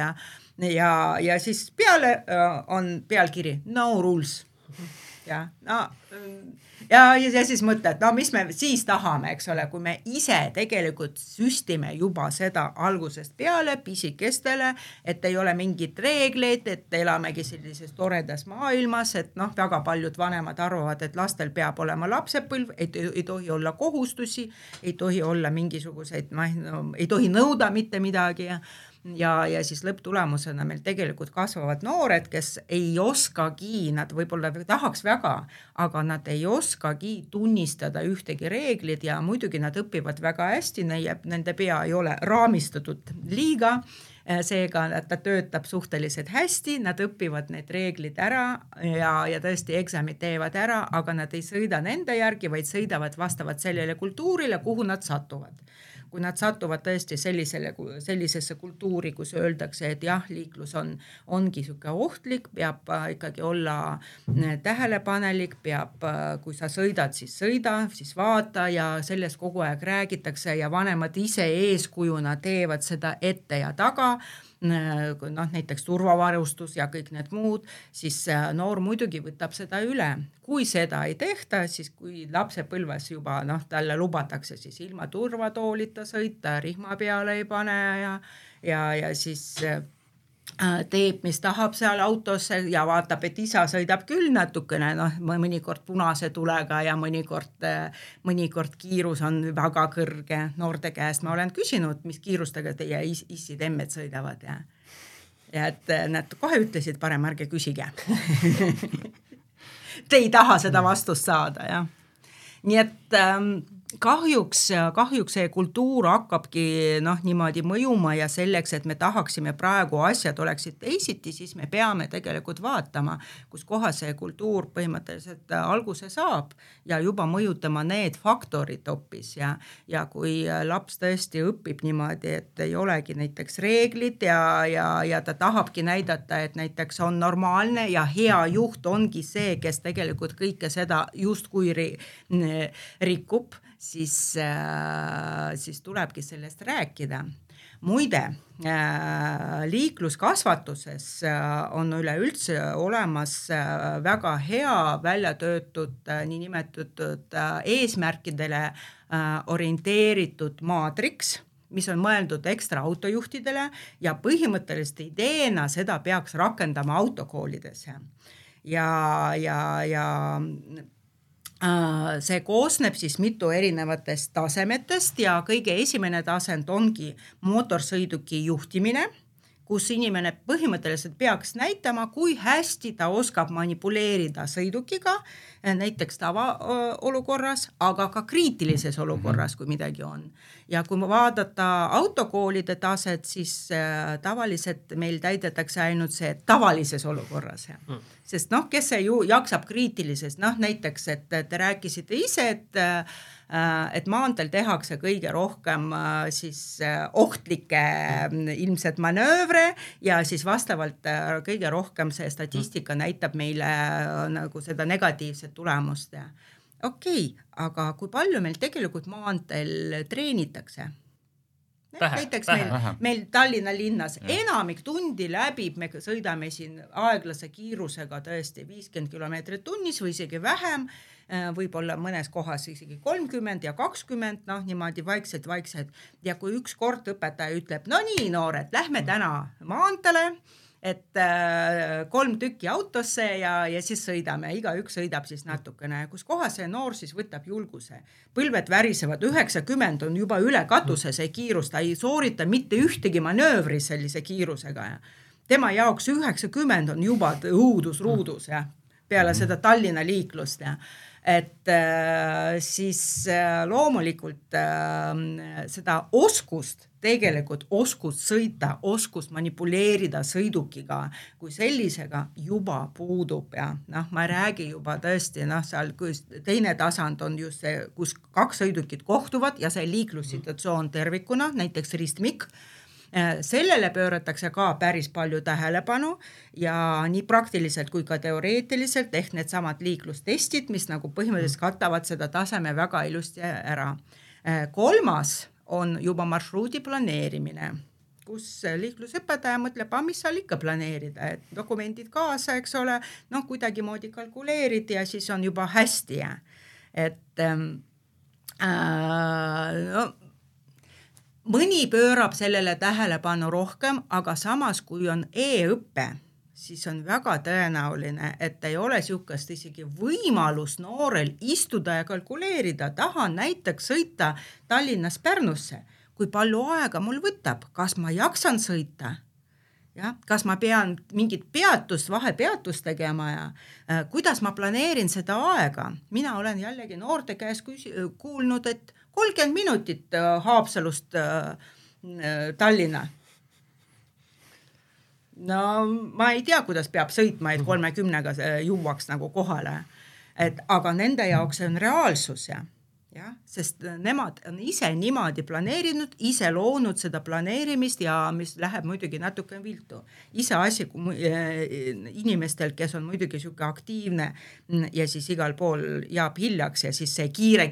E: ja siis peale on pealkiri No Rules. Ja siis mõtled, mis me siis tahame, eks ole, kui me ise tegelikult süstime juba seda algusest peale pisikestele, et ei ole mingit reegleid, et elamegi sellises toredas maailmas, et väga paljud vanemad arvavad, et lastel peab olema lapsepõlv, ei tohi olla kohustusi, ei tohi olla mingisuguseid, ei tohi nõuda mitte midagi ja siis lõpptulemusena meil tegelikult kasvavad noored, kes ei oskagi, nad võib-olla tahaks väga, aga nad ei oskagi tunnistada ühtegi reeglid ja muidugi nad õpivad väga hästi, nende pea ei ole raamistatud liiga, seega ta töötab suhteliselt hästi, nad õpivad need reeglid ära ja tõesti eksamid teevad ära, aga nad ei sõida nende järgi, vaid sõidavad vastavalt sellele kultuurile, kuhu nad satuvad. Kui nad satuvad tõesti sellisesse kultuuri, kus öeldakse, et jah, liiklus ongi siuke ohtlik, peab ikkagi olla tähelepanelik, kui sa sõidad, siis vaata ja sellest kogu aeg räägitakse ja vanemad ise eeskujuna teevad seda ette ja taga, näiteks turvavarustus ja kõik need muud, siis noor muidugi võtab seda üle. Kui seda ei tehta, siis kui lapsepõlves juba talle lubatakse siis ilma turvatoolita sõita, rihma peale ei pane ja siis teeb, mis tahab seal autosse ja vaatab, et isa sõidab küll natukene, mõnikord punase tulega ja mõnikord kiirus on väga kõrge noorte käest. Ma olen küsinud, mis kiirustega teie issid-emmed sõidavad ja et nad kohe ütlesid, parem ärge küsige. Te ei taha seda vastust saada, jah. Nii et kahjuks see kultuur hakkabki niimoodi mõjuma ja selleks, et me tahaksime praegu asjad oleksid teisiti, siis me peame tegelikult vaatama, kus koha see kultuur põhimõtteliselt alguse saab ja juba mõjutama need faktorid hoopis ja kui laps tõesti õpib niimoodi, et ei olegi näiteks reeglid ja ta tahabki näidata, et näiteks on normaalne ja hea juht ongi see, kes tegelikult kõike seda justkui rikub, siis tulebki sellest rääkida. Muide, liikluskasvatuses on üleüldse olemas väga hea välja töötud niinimetatud eesmärkidele orienteeritud maatriks, mis on mõeldud ekstra autojuhtidele ja põhimõtteliselt ideena seda peaks rakendama autokoolides. See koosneb siis mitu erinevatest tasemetest ja kõige esimene tasand ongi mootorsõiduki juhtimine, kus inimene põhimõtteliselt peaks näitama, kui hästi ta oskab manipuleerida sõidukiga, näiteks tavaolukorras, aga ka kriitilises olukorras, kui midagi on. Ja kui vaadata autokoolide taset, siis tavaliselt meil täidetakse ainult see tavalises olukorras. Sest kes see ju jaksab kriitilises, näiteks, et te rääkisite ise, et maanteel tehakse kõige rohkem siis ohtlikke ilmselt manöövre ja siis vastavalt kõige rohkem see statistika näitab meile nagu seda negatiivset tulemust. Okei, aga kui palju meil tegelikult maanteel treenitakse? Näiteks meil Tallinna linnas enamik tundi läbib, me sõidame siin aeglase kiirusega tõesti 50 kilomeetrit tunnis või isegi vähem, võib-olla mõnes kohas isegi 30 ja 20, niimoodi vaikselt. Ja kui üks kord õpetaja ütleb, no nii noored, lähme täna maantele, et 3 tükki autosse ja siis sõidame, igaüks sõidab siis natukene, kus kohas see noor siis võtab julguse. Põlved värisevad, 90 on juba üle katuse see kiirus, ta ei soorita mitte ühtegi manöövri sellise kiirusega. Tema jaoks 90 on juba õudus-ruudus peale seda Tallinna liiklust. Et siis loomulikult seda oskust, tegelikult oskust sõita, oskust manipuleerida sõidukiga kui sellisega juba puudub ja ma ei räägi juba tõesti, seal teine tasand on just see, kus 2 sõidukit kohtuvad ja see liiklussituatsioon tervikuna, näiteks ristmik. Sellele pööratakse ka päris palju tähelepanu ja nii praktiliselt kui ka teoreetiliselt ehk need samad liiklustestid, mis nagu põhimõtteliselt katavad seda taseme väga ilusti ära. 3. on juba marsruudi planeerimine, kus liiklusõpetaja mõtleb, mis seal ikka planeerida, et dokumendid kaasa, eks ole, kuidagi moodi kalkuleerid ja siis on juba hästi. Et mõni pöörab sellele tähelepanu rohkem, aga samas kui on e-õppe, siis on väga tõenäoline, et ei ole sihukest isegi võimalus noorel istuda ja kalkuleerida. Tahan näiteks sõita Tallinnast Pärnusse. Kui palju aega mul võtab? Kas ma jaksan sõita? Ja, kas ma pean mingit peatust, vahepeatust tegema ja kuidas ma planeerin seda aega? Mina olen jällegi noorte käes kuulnud, et 30 minutit Haapsalust Tallinna. No ma ei tea, kuidas peab sõitma, et 30-ga jõuaks nagu kohale. Aga nende jaoks on reaalsus ja, sest nemad on ise niimoodi planeerinud, ise loonud seda planeerimist ja mis läheb muidugi natuke viltu. Ise asi inimestel, kes on muidugi siuke aktiivne ja siis igal pool jaab hiljaks ja siis see kiire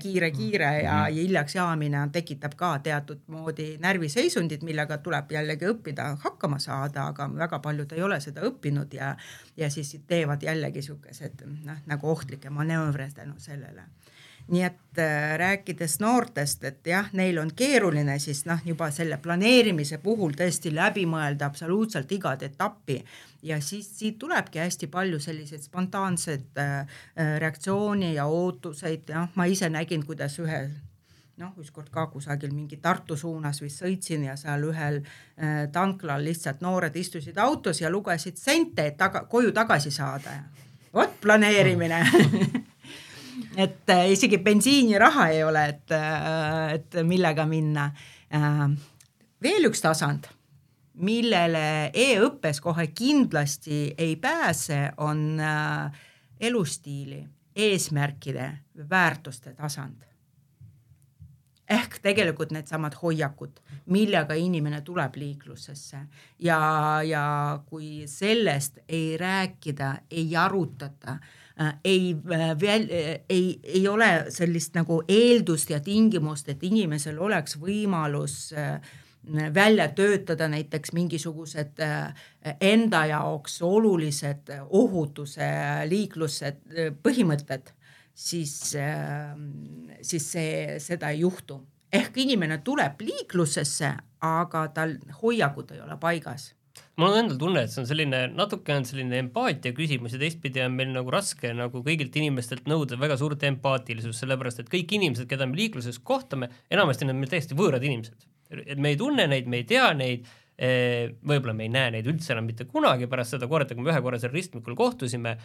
E: ja hiljaks jaamine tekitab ka teatud moodi närviseisundid, millega tuleb jällegi õppida hakkama saada, aga väga paljud ei ole seda õppinud ja siis teevad jällegi siukesed nagu ohtlikke manöövre tänu sellele. Nii et rääkides noortest, et jah, neil on keeruline siis juba selle planeerimise puhul tõesti läbi mõelda absoluutselt igat etappi ja siis siit tulebki hästi palju selliseid spontaansed reaktsiooni ja ootuseid. Ma ise nägin, kuidas ükskord ka kusagil mingi Tartu suunas vist sõitsin ja seal ühel tanklal lihtsalt noored istusid autos ja lugesid sente, et koju tagasi saada. Vot planeerimine. Et isegi bensiiniraha ei ole, et millega minna. Veel üks tasand, millele e-õppes kohe kindlasti ei pääse, on elustiili, eesmärkide, väärtuste tasand. Ehk tegelikult need samad hoiakud, millega inimene tuleb liiklusesse ja kui sellest ei rääkida, ei arutata, ei ole sellist nagu eeldust ja tingimust, et inimesel oleks võimalus välja töötada näiteks mingisugused enda jaoks olulised ohutuse liiklused põhimõtted, siis seda ei juhtu. Ehk inimene tuleb liiklusesse, aga tal hoiakud ei ole paigas.
D: Mul on endal tunne, et see on selline empaatia küsimus ja teistpidi on meil nagu raske nagu kõigilt inimestelt nõuda väga suurt empaatilisus, sellepärast et kõik inimesed, keda me liikluses kohtame, enamasti need meil täiesti võõrad inimesed. Et me ei tunne neid, me ei tea neid, võib-olla me ei näe neid üldse enam mitte kunagi pärast seda korda, kui me ühe korra seal ristmikul kohtusime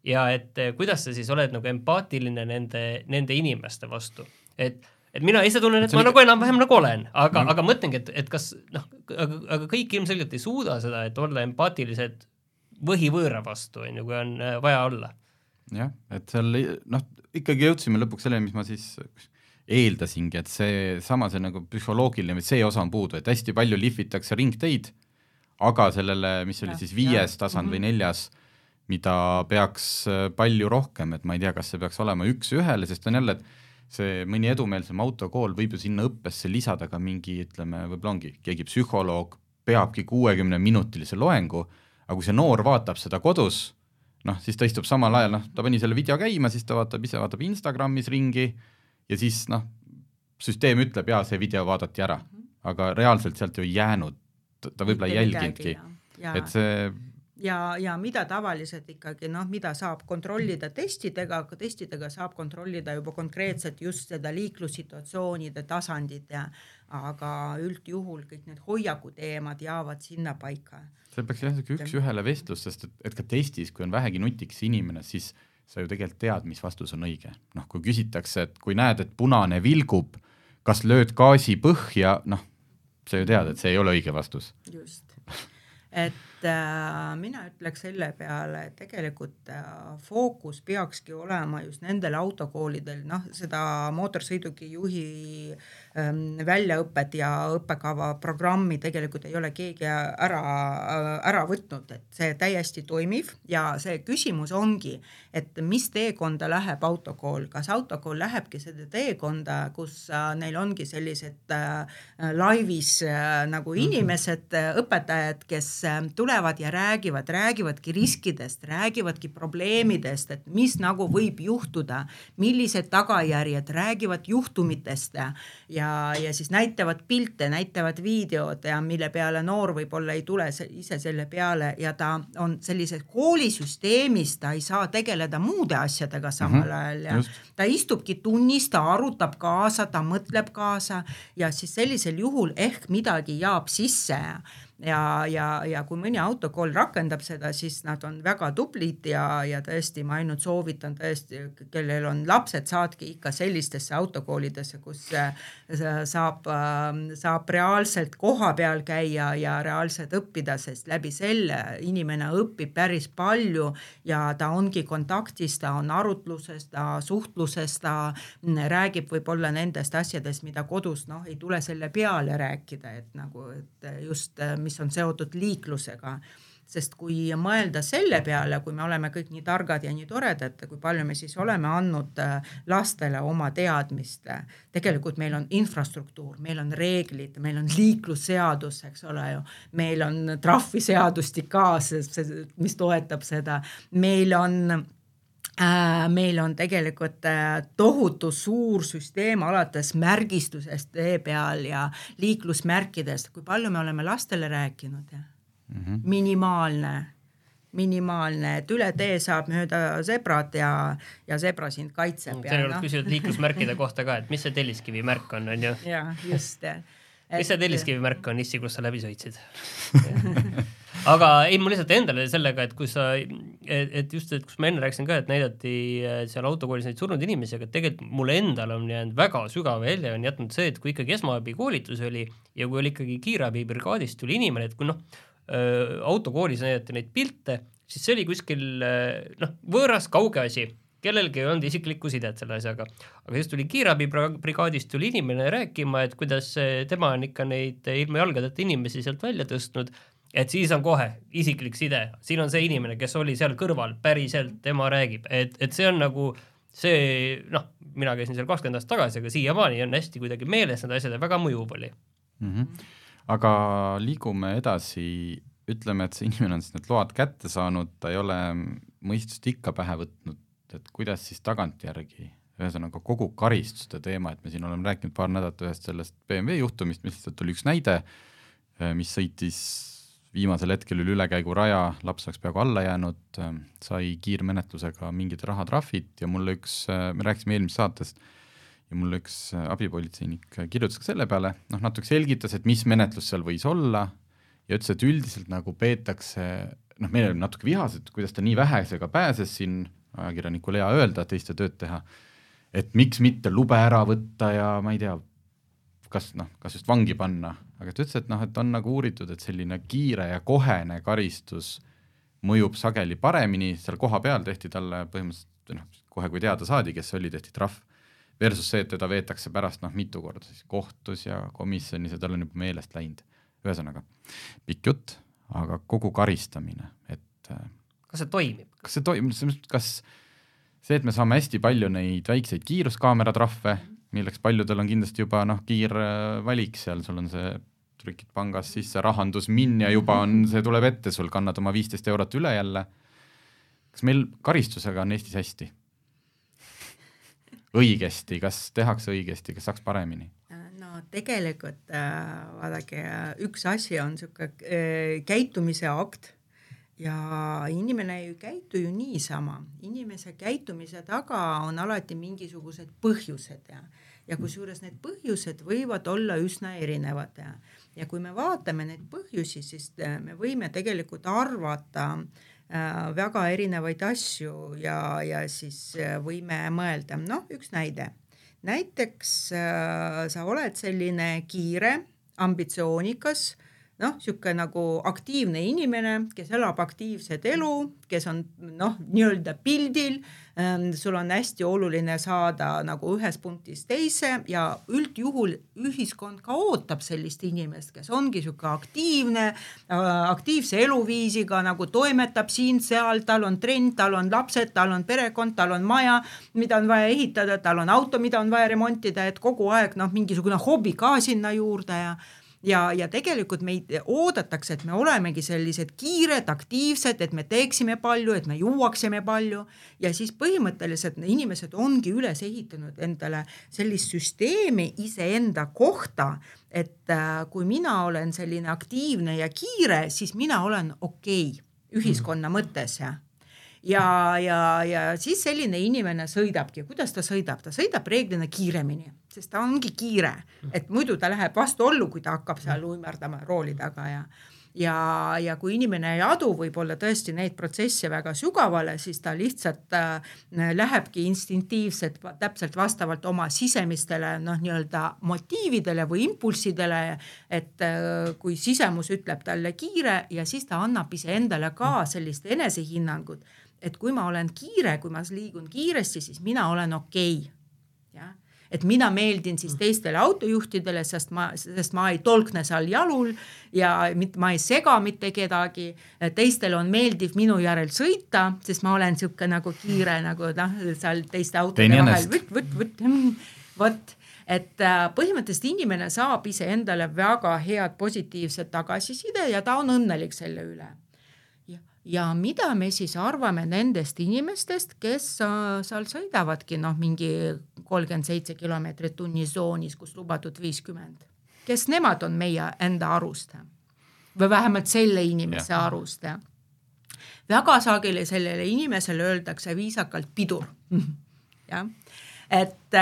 D: ja et kuidas sa siis oled nagu empaatiline nende inimeste vastu, et mina ise tunnen, et ma nagu enam-vähem nagu olen, aga mõtlengi, et kas aga kõik ilmselgelt ei suuda seda, et olla empaatilised võhivõõra vastu, kui on vaja olla.
C: Jah, et seal ikkagi jõudsime lõpuks sellele, mis ma siis eeldasingi, et see nagu psühholoogiline, see osa on puudu, et hästi palju lihvitakse ringteid, aga sellele, mis oli siis 5. tasand või 4., mida peaks palju rohkem, et ma ei tea, kas see peaks olema 1:1, sest on jälle, et see mõni edumeelsem autokool võib ju sinna õppesse lisada ka mingi, ütleme, võib-olla ongi, keegi psühholoog peabki 60-minutilise loengu, aga kui see noor vaatab seda kodus, siis ta istub samal ajal, ta pani selle video käima, siis ta vaatab Instagramis ringi ja siis süsteem ütleb, see video vaadati ära, aga reaalselt sealt ju ei jäänud, ta võib-olla ei jälginudki, et see
E: ja mida tavaliselt ikkagi, mida saab kontrollida testidega, aga testidega saab kontrollida juba konkreetselt just seda liiklussituatsioonide tasandit, aga üldjuhul kõik need hoiakuteemad jäävad sinna paika.
C: See peaks üks-ühele vestlus, sest et ka testis, kui on vähegi nutiks inimene, siis sa ju tegelikult tead, mis vastus on õige. Kui küsitakse, et kui näed, et punane vilgub, kas lööd gaasi põhja, sa ju tead, et see ei ole õige vastus.
E: Just. Et mina ütleks selle peale, et tegelikult fookus peakski olema just nendel autokoolidel, seda mootorsõiduki juhi väljaõpet ja õppekava programmi tegelikult ei ole keegi ära võtnud, et see täiesti toimiv ja see küsimus ongi, et mis teekonda läheb autokool, kas autokool lähebki seda teekonda, kus neil ongi sellised laivis nagu inimesed, õpetajad, kes tulevad ja räägivadki riskidest, räägivadki probleemidest, et mis nagu võib juhtuda, millised tagajärjed, räägivad juhtumitest ja siis näitavad pilte, näitavad videod ja mille peale noor võib-olla ei tule ise selle peale ja ta on sellises koolisüsteemis, ta ei saa tegeleda muude asjadega samal ajal ja ta istubki tunnis, ta arutab kaasa, ta mõtleb kaasa ja siis sellisel juhul ehk midagi jääb sisse ja kui mõni autokool rakendab seda, siis nad on väga tublid ja tõesti ma ainult soovitan tõesti, kellel on lapsed, saadki ikka sellistesse autokoolidesse, kus saab reaalselt koha peal käia ja reaalselt õppida, sest läbi selle inimene õpib päris palju ja ta ongi kontaktis, ta on arutluses, ta suhtluses, ta räägib võib-olla nendest asjadest, mida kodus ei tule selle peale rääkida, et just mis on seotud liiklusega, sest kui mõelda selle peale, kui me oleme kõik nii targad ja nii toredad, kui palju me siis oleme andnud lastele oma teadmist, tegelikult meil on infrastruktuur, meil on reeglid, meil on liiklusseadus, eks ole ju, meil on trahviseadustik ka, mis toetab seda, meil on tegelikult tohutu suur süsteem alates märgistusest tee peal ja liiklusmärkidest, kui palju me oleme lastele rääkinud. Minimaalne, et üle tee saab mööda zebrat ja zebra sind kaitseb.
D: See on küsinud liiklusmärkide kohta ka, et mis see telliskivi märk on ju?
E: Ja, just.
D: Mis see telliskivi märk on, Issi, kus sa läbi sõitsid? Aga ei, mul lihtsalt endale sellega, et kus ma enne rääkisin ka, et näidati seal autokoolis neid surnud inimesi, aga tegelikult mulle endal on jäänud väga sügav välja, on jätnud see, et kui ikkagi esmaabi koolitus oli ja kui oli ikkagi kiirabibrigaadist tuli inimene, et kui autokoolis näidati neid pilte, siis see oli kuskil võõras kauge asi, kellelgi ei olnud isiklikku sidet selle asjaga. Aga siis tuli kiirabibrigaadist tuli inimene rääkima, et kuidas tema on ikka neid ilma jalgadeta inimesi sealt välja tõstnud, et siis on kohe isiklik side. Siin on see inimene, kes oli seal kõrval, päriselt tema räägib. Et see on nagu see, mina käisin seal 20 aastat tagasi, aga siiamaani on hästi kuidagi meeles need asjad ja väga mõjuv oli.
C: Aga liigume edasi, ütleme, et see inimene on siis need load kätte saanud, ta ei ole mõistust ikka pähe võtnud, et kuidas siis tagantjärgi, ühesõnaga kogu karistuste teema, et me siin oleme rääkinud paar nädalat ühest sellest BMW juhtumist, mis lihtsalt oli üks näide, mis sõitis viimasel hetkel üle ülekäiguraja, laps oleks peaaegu alla jäänud, sai kiirmenetlusega mingid rahatrahvid ja mulle me rääkisime eelmises saatest ja mulle üks abipolitseinik kirjutas ka selle peale, natuke selgitas, et mis menetlus seal võis olla ja ütles, et üldiselt nagu peetakse, meil oli natuke vihased, kuidas ta nii vähesega pääses siin ajakirjanikul hea öelda, teiste tööd teha, et miks mitte lube ära võtta ja ma ei tea, kas just vangi panna, aga ta ütles, et et on nagu uuritud, et selline kiire ja kohene karistus mõjub sageli paremini, seal koha peal tehti talle põhimõtteliselt kohe kui teada saadi, kes oli, tehti trahv, versus see, et teda veetakse pärast mitu korda siis kohtus ja komisjonis ja tal on juba meelest läinud. Ühesõnaga, pikk jutt, aga kogu karistamine, et
D: kas see toimib?
C: Kas see, et me saame hästi palju neid väikseid kiiruskaameratrahve, milleks paljudel on kindlasti juba kiir valik seal, sul on see trükid pangas sisse, rahandus ja juba on, see tuleb ette, sul kannad oma 15 eurot üle jälle. Kas meil karistusega on Eestis hästi? Õigesti, kas tehakse õigesti, kas saaks paremini?
E: No tegelikult vaadake, üks asi on siuke käitumise akt ja inimene ei käitu ju niisama. Inimese käitumise taga on alati mingisugused põhjused ja kusjuures need põhjused võivad olla üsna erinevad ja kui me vaatame neid põhjusi, siis me võime tegelikult arvata väga erinevaid asju ja siis võime mõelda. Üks näide. Näiteks sa oled selline kiire, ambitsioonikas, siuke nagu aktiivne inimene, kes elab aktiivset elu, kes on nii-öelda pildil, sul on hästi oluline saada nagu ühes punktis teise ja üldjuhul ühiskond ka ootab sellist inimest, kes ongi siuke aktiivne, aktiivse eluviisiga, nagu toimetab siin-seal, tal on trend, tal on lapsed, tal on perekond, tal on maja, mida on vaja ehitada, tal on auto, mida on vaja remontida, et kogu aeg mingisugune hobi ka sinna juurde ja tegelikult meid oodatakse, et me olemegi sellised kiired, aktiivsed, et me teeksime palju, et me juuaksime palju ja siis põhimõtteliselt inimesed ongi üles ehitanud endale sellist süsteemi iseenda kohta, et kui mina olen selline aktiivne ja kiire, siis mina olen okei ühiskonna mõttes ja siis selline inimene sõidabki. Kuidas ta sõidab? Ta sõidab reeglina kiiremini, sest ta ongi kiire, et muidu ta läheb vastuollu, kui ta hakkab seal uimerdama rooli taga ja kui inimene ei adu võib-olla tõesti neid protsesse väga sügavale, siis ta lihtsalt lähebki instinktiivselt täpselt vastavalt oma sisemistele nii-öelda motiividele või impulssidele, et kui sisemus ütleb talle kiire ja siis ta annab iseendale ka sellist enesehinnangut, et kui ma olen kiire, kui ma liigun kiiresti, siis mina olen okei. Et mina meeldin siis teistele autojuhtidele, sest ma ei tolkne seal jalul ja ma ei sega mitte kedagi. Teistel on meeldiv minu järel sõita, sest ma olen siuke nagu kiire, nagu seal teiste autode vahel. Võt. Et põhimõtteliselt inimene saab ise endale väga head positiivset tagasiside ja ta on õnnelik selle üle. Ja mida me siis arvame nendest inimestest, kes seal sõidavadki mingi 37 kilomeetrit tunni zoonis, kus lubatud 50. Kes nemad on meie enda arust? Või vähemalt selle inimese arust? Väga sageli sellele inimesele öeldakse viisakalt pidur. Et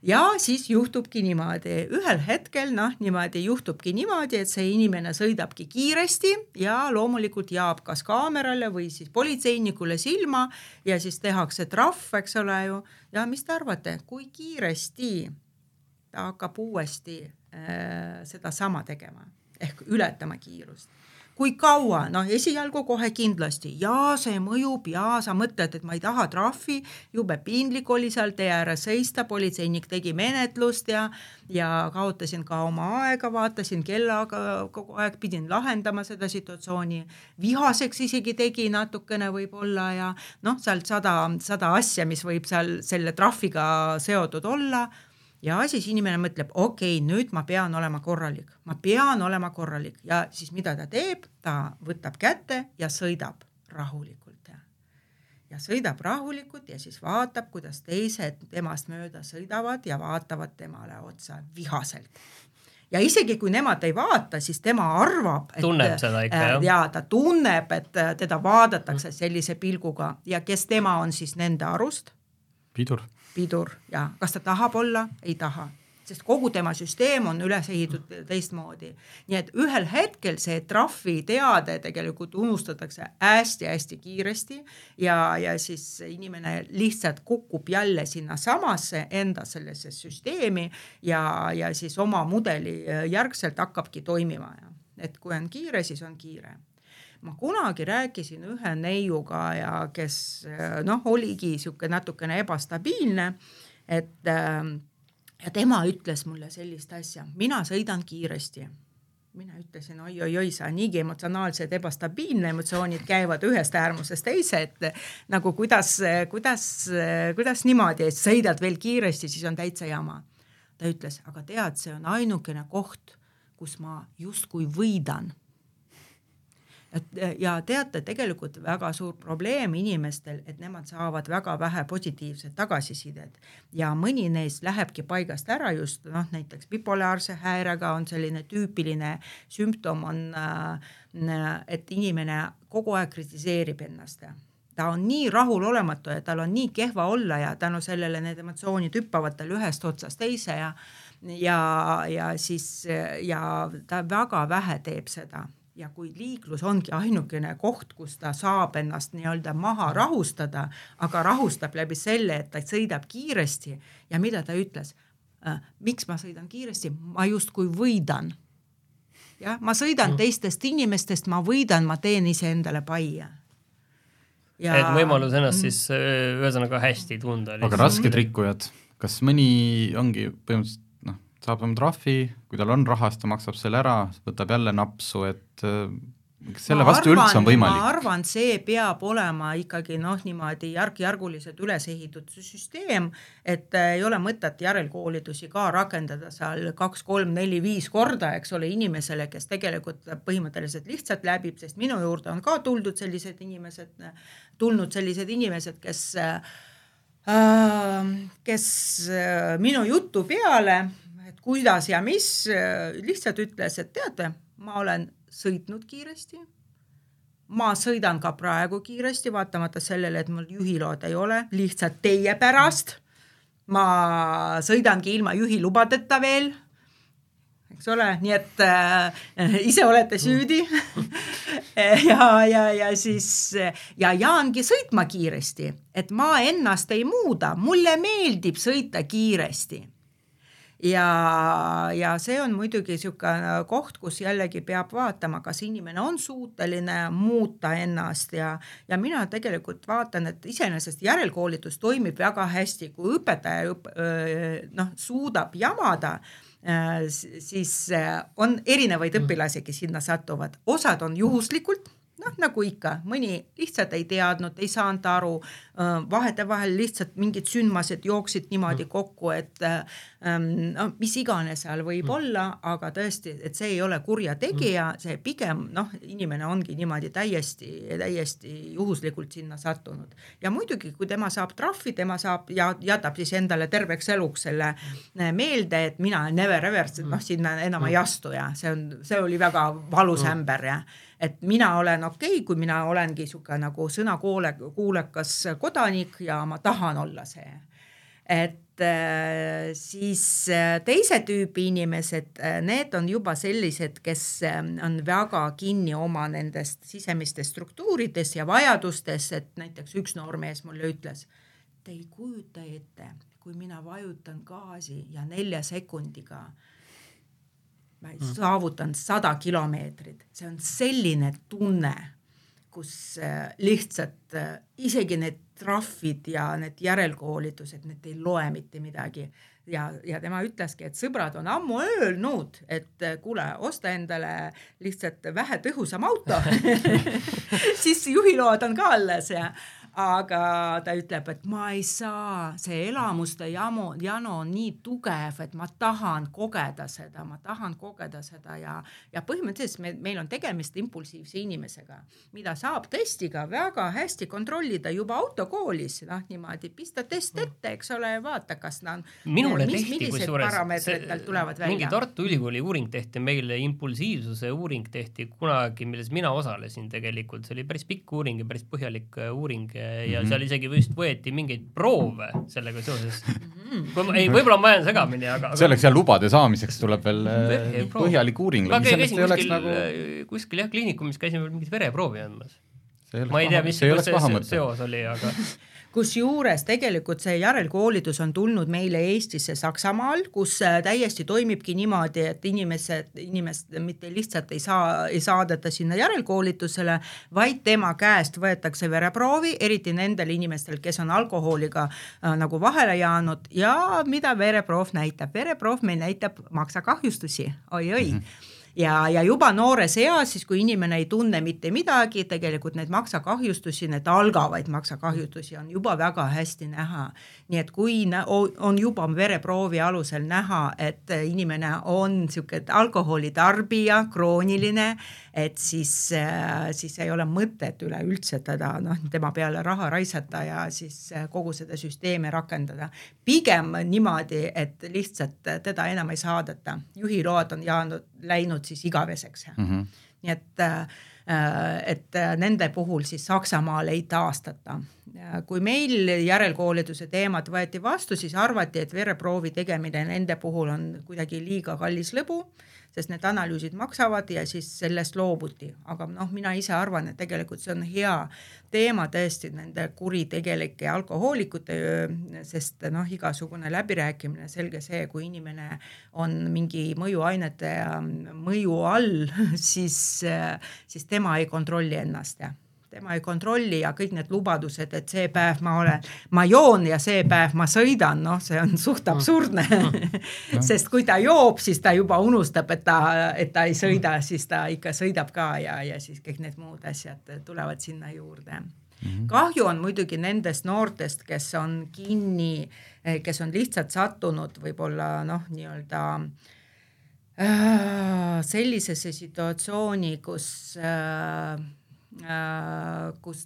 E: ja siis juhtubki niimoodi. Ühel hetkel niimoodi juhtubki niimoodi, et see inimene sõidabki kiiresti ja loomulikult jaab kas kaamerale või siis politseinikule silma ja siis tehakse trahv, eks ole ju. Ja mis te arvate, kui kiiresti ta hakkab uuesti seda sama tegema ehk ületama kiirust? Kui kaua? Esialgu kohe kindlasti. Ja see mõjub ja sa mõtled, et ma ei taha trahvi, jube piinlik oli seal tee ääres seista, politseinik tegi menetlust ja kaotasin ka oma aega, vaatasin kellaga, kogu aeg pidin lahendama seda situatsiooni. Vihaseks isegi tegi natukene võib-olla ja sealt 100 asja, mis võib seal selle trahviga seotud olla. Ja siis inimene mõtleb, okei, nüüd ma pean olema korralik. Ma pean olema korralik. Ja siis mida ta teeb? Ta võtab kätte ja sõidab rahulikult. Ja sõidab rahulikult ja siis vaatab, kuidas teised temast mööda sõidavad ja vaatavad temale otsa vihaselt. Ja isegi kui nemad ei vaata, siis tema arvab, et
D: tunneb seda ikka,
E: ta tunneb, et teda vaadatakse sellise pilguga. Ja kes tema on siis nende arust?
C: Pidur.
E: Ja kas ta tahab olla? Ei taha. sest kogu tema süsteem on üles ehitatud teistmoodi. Nii et ühel hetkel see trahvi teade tegelikult unustatakse hästi-hästi kiiresti ja siis inimene lihtsalt kukub jälle sinna samasse enda sellesse süsteemi ja siis oma mudeli järgselt hakkabki toimima. Et kui on kiire, siis on kiire. Ma kunagi rääkisin ühe neiuga ja kes oligi siuke natukene ebastabiilne, et ja tema ütles mulle sellist asja, mina sõidan kiiresti. Mina ütlesin, oi, sa niigi emotsionaalsed ebastabiilne, emotsioonid käivad ühest äärmusest teise, et nagu kuidas niimoodi, et sõidad veel kiiresti, siis on täitsa jama. Ta ütles, aga tead, see on ainukene koht, kus ma justkui võidan. Ja teate, tegelikult väga suur probleem inimestel, et nemad saavad väga vähe positiivset tagasisidet ja mõni neist lähebki paigast ära just, näiteks bipolaarse häirega on selline tüüpiline sümptom on, et inimene kogu aeg kritiseerib ennast. Ta on nii rahulolematu ja tal on nii kehva olla ja tänu sellele need emotsioonid hüppavad tal ühest otsast teise ja ta väga vähe teeb seda. Ja kui liiklus ongi ainukene koht, kus ta saab ennast nii-öelda maha rahustada, aga rahustab läbi selle, et ta sõidab kiiresti ja mida ta ütles? Miks ma sõidan kiiresti? Ma justkui võidan. Ja, ma sõidan teistest inimestest, ma võidan, ma teen ise endale paia.
D: Ja... Et võimalus ennast siis ühesõnaga hästi tunda.
C: Aga rasked rikkujad, kas mõni ongi põhimõtteliselt saab oma trahvi, kui tal on rahast, ta maksab selle ära, võtab jälle napsu, et selle vastu üldse on võimalik.
E: Ma arvan, see peab olema ikkagi niimoodi järk-järguliselt üles ehitud süsteem, et ei ole mõtet järelkoolitusi ka rakendada seal 2, 3, 4, 5 korda, eks ole, inimesele, kes tegelikult põhimõtteliselt lihtsalt läbib, sest minu juurde on ka tulnud sellised inimesed, kes minu jutu peale kuidas ja mis, lihtsalt ütles, et teate, ma olen sõitnud kiiresti, ma sõidan ka praegu kiiresti, vaatamata sellele, et mul juhilood ei ole, lihtsalt teie pärast, ma sõidangi ilma juhilubadeta veel, eks ole, nii et ise olete süüdi ja siis jaangi sõitma kiiresti, et ma ennast ei muuda, mulle meeldib sõita kiiresti. Ja see on muidugi siuke koht, kus jällegi peab vaatama, kas inimene on suuteline muuta ennast ja mina tegelikult vaatan, et iseenesest järelkoolitus toimib väga hästi, kui õpetaja suudab jamada, siis on erinevaid õpilasi, kes sinna satuvad. Osad on juhuslikult, nagu ikka, mõni lihtsalt ei teadnud, ei saanud aru, vahetevahel lihtsalt mingid sündmased jooksid niimoodi kokku, et mis iganes seal võib olla, aga tõesti, et see ei ole kurja tegija, see pigem, inimene ongi niimoodi täiesti juhuslikult sinna sattunud. Ja muidugi, kui tema saab trahvi, tema saab ja jätab siis endale terveks eluks selle meelde, et mina never ever, sinna enam ei astu ja see oli väga valus ämber ja et mina olen okei, kui mina olengi siuke nagu sõnakuulekas kodanik ja ma tahan olla see. Et siis teise tüüpi inimesed, need on juba sellised, kes on väga kinni oma nendest sisemistest struktuurides ja vajadustes, et näiteks üks noormees mulle ütles, te ei kujuta ette, kui mina vajutan gaasi ja 4 sekundiga ma saavutan 100 kilomeetrit. See on selline tunne, kus lihtsalt isegi need trahvid ja need järelkoolitused, need ei loe mitte midagi. Ja tema ütleski, et sõbrad on ammu öelnud, et kuule, osta endale lihtsalt vähe tõhusam auto. Siis juhiload on ka alles aga ta ütleb, et ma ei saa, see elamuste jano on nii tugev, et ma tahan kogeda seda ja põhimõtteliselt meil on tegemist impulsiivse inimesega, mida saab testiga väga hästi kontrollida juba autokoolis, niimoodi pista test ette, eks ole, vaata, kas millised parameetrid tal tulevad välja.
D: Mingi Tartu Ülikooli uuring tehti meile, impulsiivsuse uuring tehti kunagi, milles mina osalesin tegelikult, see oli päris pikk uuring ja päris põhjalik uuring ja seal isegi vist võeti mingeid proove sellega seoses. Võib-olla ma jään segamini, aga...
C: Selleks ja lubade saamiseks tuleb veel põhjalik uuring.
D: Ma käisin kuskil kliinikumis käisin veel mingit vereproovi andmas. Ma ei tea, mis see seos oli, aga...
E: Kusjuures tegelikult see järelkoolitus on tulnud meile Eestisse Saksamaal, kus täiesti toimibki niimoodi, et inimest mitte lihtsalt ei saadeta sinna järelkoolitusele, vaid tema käest võetakse vereproovi, eriti nendel inimestel, kes on alkoholiga nagu vahele jäänud ja mida vereproov näitab. Vereproov meil näitab maksakahjustusi, oi. Ja juba noores eas, siis kui inimene ei tunne mitte midagi, tegelikult need maksakahjustusi, need algavaid maksakahjustusi on juba väga hästi näha. Nii et kui on juba vereproovi alusel näha, et inimene on siuke alkoholitarbija, krooniline, et siis ei ole mõtet üleüldse tema peale raha raisata ja siis kogu seda süsteemi rakendada. Pigem niimoodi, et lihtsalt teda enam ei saadeta. Juhiload on läinud siis igaveseks. Nii et nende puhul siis Saksamaal ei taastata. Kui meil järelkoolituse teemad võeti vastu, siis arvati, et vereproovi tegemine nende puhul on kuidagi liiga kallis lõbu, sest need analüüsid maksavad ja siis sellest loobuti. Aga mina ise arvan, et tegelikult see on hea teema tõesti nende kuritegelike alkohoolikute, sest igasugune läbirääkimine, selge see, kui inimene on mingi mõjuainete mõju all, siis tema ei kontrolli ennast. Tema ei kontrolli ja kõik need lubadused, et see päev ma joon ja see päev ma sõidan, see on suht absurdne. Sest kui ta joob, siis ta juba unustab, et ta ei sõida, siis ta ikka sõidab ka ja siis kõik need muud asjad tulevad sinna juurde. Kahju on muidugi nendest noortest, kes on kinni, kes on lihtsalt sattunud võib-olla nii-öelda sellisesse situatsiooni, kus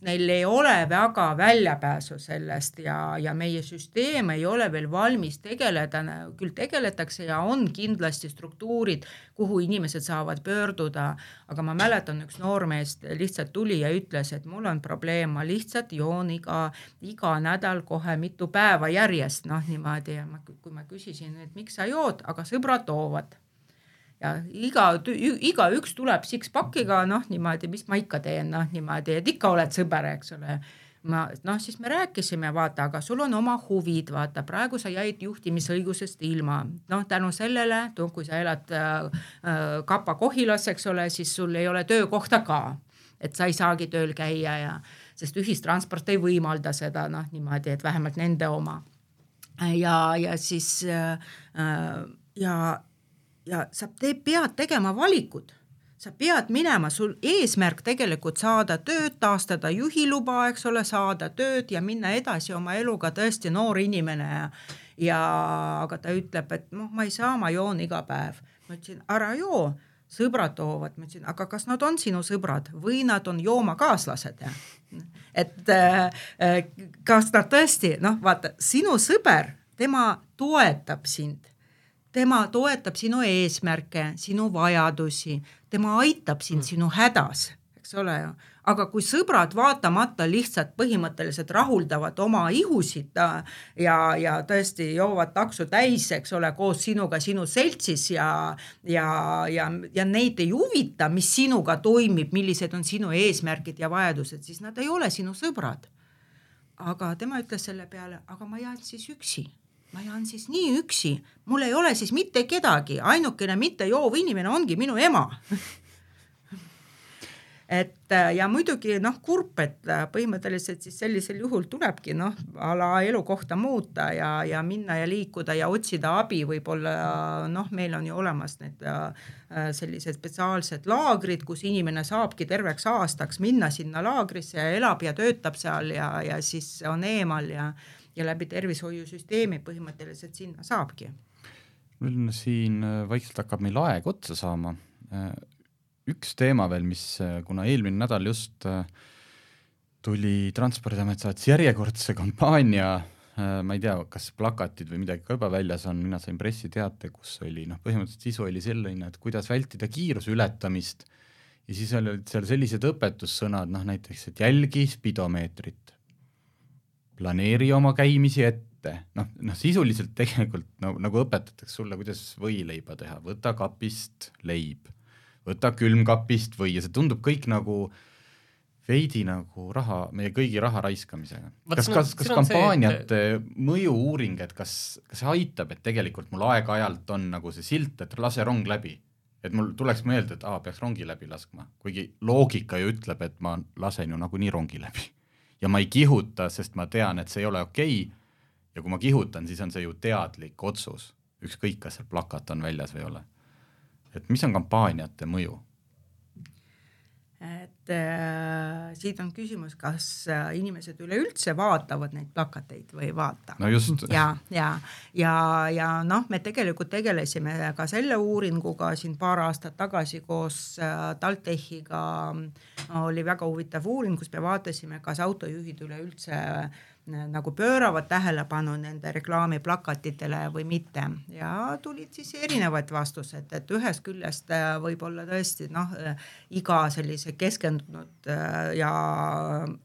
E: neil ei ole väga väljapääsu sellest ja meie süsteem ei ole veel valmis tegeleda, küll tegeletakse ja on kindlasti struktuurid, kuhu inimesed saavad pöörduda, aga ma mäletan üks noormeest lihtsalt tuli ja ütles, et mul on probleem, ma lihtsalt joon iga nädal kohe mitu päeva järjest, niimoodi ja kui ma küsisin, et miks sa jood, aga sõbrad toovad. Ja iga üks tuleb six-packiga, niimoodi, mis ma ikka teen, niimoodi, et ikka oled sõber, eks ole. Siis me rääkisime, vaata, aga sul on oma huvid, vaata, praegu sa jäid juhtimisõigusest ilma. Tänu sellele, kui sa elad Kapa Kohilas, eks ole, siis sul ei ole töökohta ka, et sa ei saagi tööl käia, sest ühistransport ei võimalda seda, niimoodi, et vähemalt nende oma. Ja siis ja sa pead tegema valikud, sa pead minema, sul eesmärk tegelikult saada tööd, taastada juhiluba, eks ole, saada tööd ja minna edasi oma eluga tõesti noor inimene aga ta ütleb, et ma ei saa, ma joon iga päev. Ma ütlesin, ära joo, sõbrad toovad, ma ütlesin, aga kas nad on sinu sõbrad või nad on joomakaaslased? Et kas nad tõesti, vaata, sinu sõber, tema toetab sind. Tema toetab sinu eesmärke, sinu vajadusi, tema aitab sind sinu hädas, eks ole. Aga kui sõbrad vaatamata lihtsalt põhimõtteliselt rahuldavad oma ihusid ja tõesti joovad taksu täis, eks ole, koos sinuga sinu seltsis ja neid ei huvita, mis sinuga toimib, millised on sinu eesmärgid ja vajadused, siis nad ei ole sinu sõbrad. Aga tema ütles selle peale, aga ma jään siis üksi. Ma jään siis nii üksi, mul ei ole siis mitte kedagi, ainukene mitte joov inimene ongi minu ema. Ja muidugi kurb, et põhimõtteliselt siis sellisel juhul tulebki ala elukohta muuta ja minna ja liikuda ja otsida abi, võib-olla meil on ju olemas need sellised spetsiaalsed laagrid, kus inimene saabki terveks aastaks minna sinna laagrisse ja elab ja töötab seal ja siis on eemal ja läbi tervishoiusüsteemi põhimõtteliselt sinna saabki.
C: Meil siin vaikselt hakkab meil aeg otsa saama. Üks teema veel, mis kuna eelmine nädal just tuli Transpordiamet saatis järjekordse kampaania, ma ei tea, kas plakatid või midagi ka juba väljas on, mina sain pressiteate, kus oli, põhimõtteliselt sisu oli selline, et kuidas vältida kiiruse ületamist ja siis olid seal sellised õpetussõnad, näiteks, et jälgi spidomeetrit. planeeri oma käimisi ette, sisuliselt tegelikult nagu õpetatakse sulle, kuidas võileiba teha, võta kapist leib, võta külmkapist või, ja see tundub kõik nagu veidi nagu raha, meie kõigi raha raiskamisega. Kas kampaaniate mõju-uuring, et kas see aitab, et tegelikult mul aeg-ajalt on nagu see silt, et lase rong läbi, et mul tuleks meelde, et peaks rongi läbi laskma, kuigi loogika ju ütleb, et ma lasen ju nagu nii rongi läbi ja ma ei kihuta, sest ma tean, et see ei ole okei. Ja kui ma kihutan, siis on see ju teadlik otsus, ükskõik, kas seal plakat on väljas või ei ole. Et mis on kampaaniate mõju?
E: Et siit on küsimus, kas inimesed üleüldse vaatavad neid plakateid või ei vaata.
C: No just.
E: Ja me tegelikult tegelesime ka selle uuringuga siin paar aastat tagasi koos TalTechiga. Oli väga huvitav uuring, kus me vaatasime, kas autojuhid üleüldse nagu pööravad tähelepanu nende reklaamiplakatitele või mitte. Ja tulid siis erinevad vastused, et ühest küljest võib-olla tõesti iga sellise keskendunud ja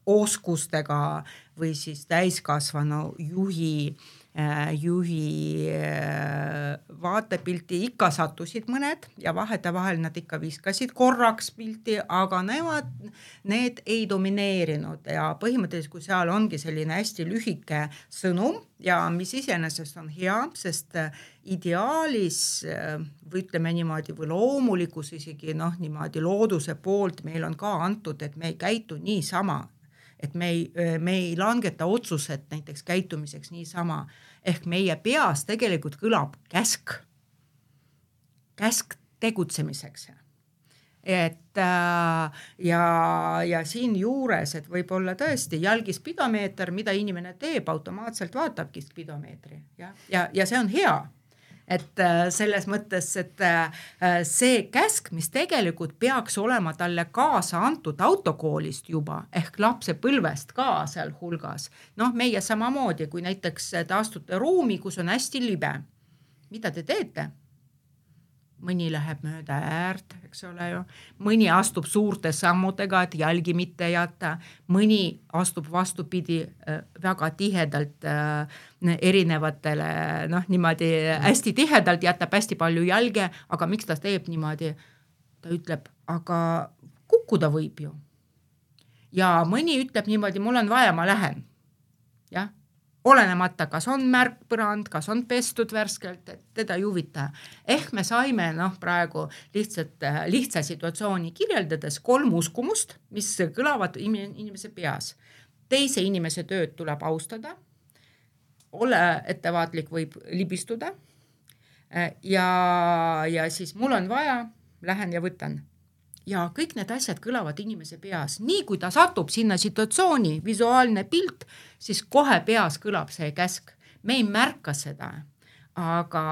E: oskustega või siis täiskasvanu juhi vaatepilti ikka sattusid mõned ja vahetevahel nad ikka viskasid korraks pilti, aga need ei domineerinud ja põhimõtteliselt, kui seal ongi selline hästi lühike sõnum ja mis iseenesest on hea, sest ideaalis või ütleme niimoodi või loomulikus isegi niimoodi looduse poolt meil on ka antud, et me ei käitu niisama, et me ei langeta otsused näiteks käitumiseks niisama, ehk meie peas tegelikult kõlab käsk tegutsemiseks. Et ja siin juures, et võib-olla tõesti jalgispidomeeter, mida inimene teeb, automaatselt vaatabki spidomeetri ja see on hea. Et selles mõttes, et see käsk, mis tegelikult peaks olema talle kaasa antud autokoolist juba, ehk lapse põlvest ka seal hulgas. Meie samamoodi, kui näiteks te astute ruumi, kus on hästi libe. Mida te teete? Mõni läheb mööda äärt, eks ole ju. Mõni astub suurte sammudega, et jalgi mitte jätta. Mõni astub vastupidi väga tihedalt erinevatele, niimoodi hästi tihedalt jätab hästi palju jalge, aga miks ta teeb niimoodi? Ta ütleb, aga kukkuda võib ju. Ja mõni ütleb niimoodi, mul on vaja, ma lähen. Jah. Olenemata, kas on märkpõrand, kas on pestud värskelt, et teda ei huvita. Ehk me saime praegu lihtsa situatsiooni kirjeldades 3 uskumust, mis kõlavad inimese peas. Teise inimese tööd tuleb austada, ole ettevaatlik võib libistuda ja siis mul on vaja, lähen ja võtan. Ja kõik need asjad kõlavad inimese peas. Nii kui ta satub sinna situatsiooni, visuaalne pilt, siis kohe peas kõlab see käsk. Me ei märka seda, aga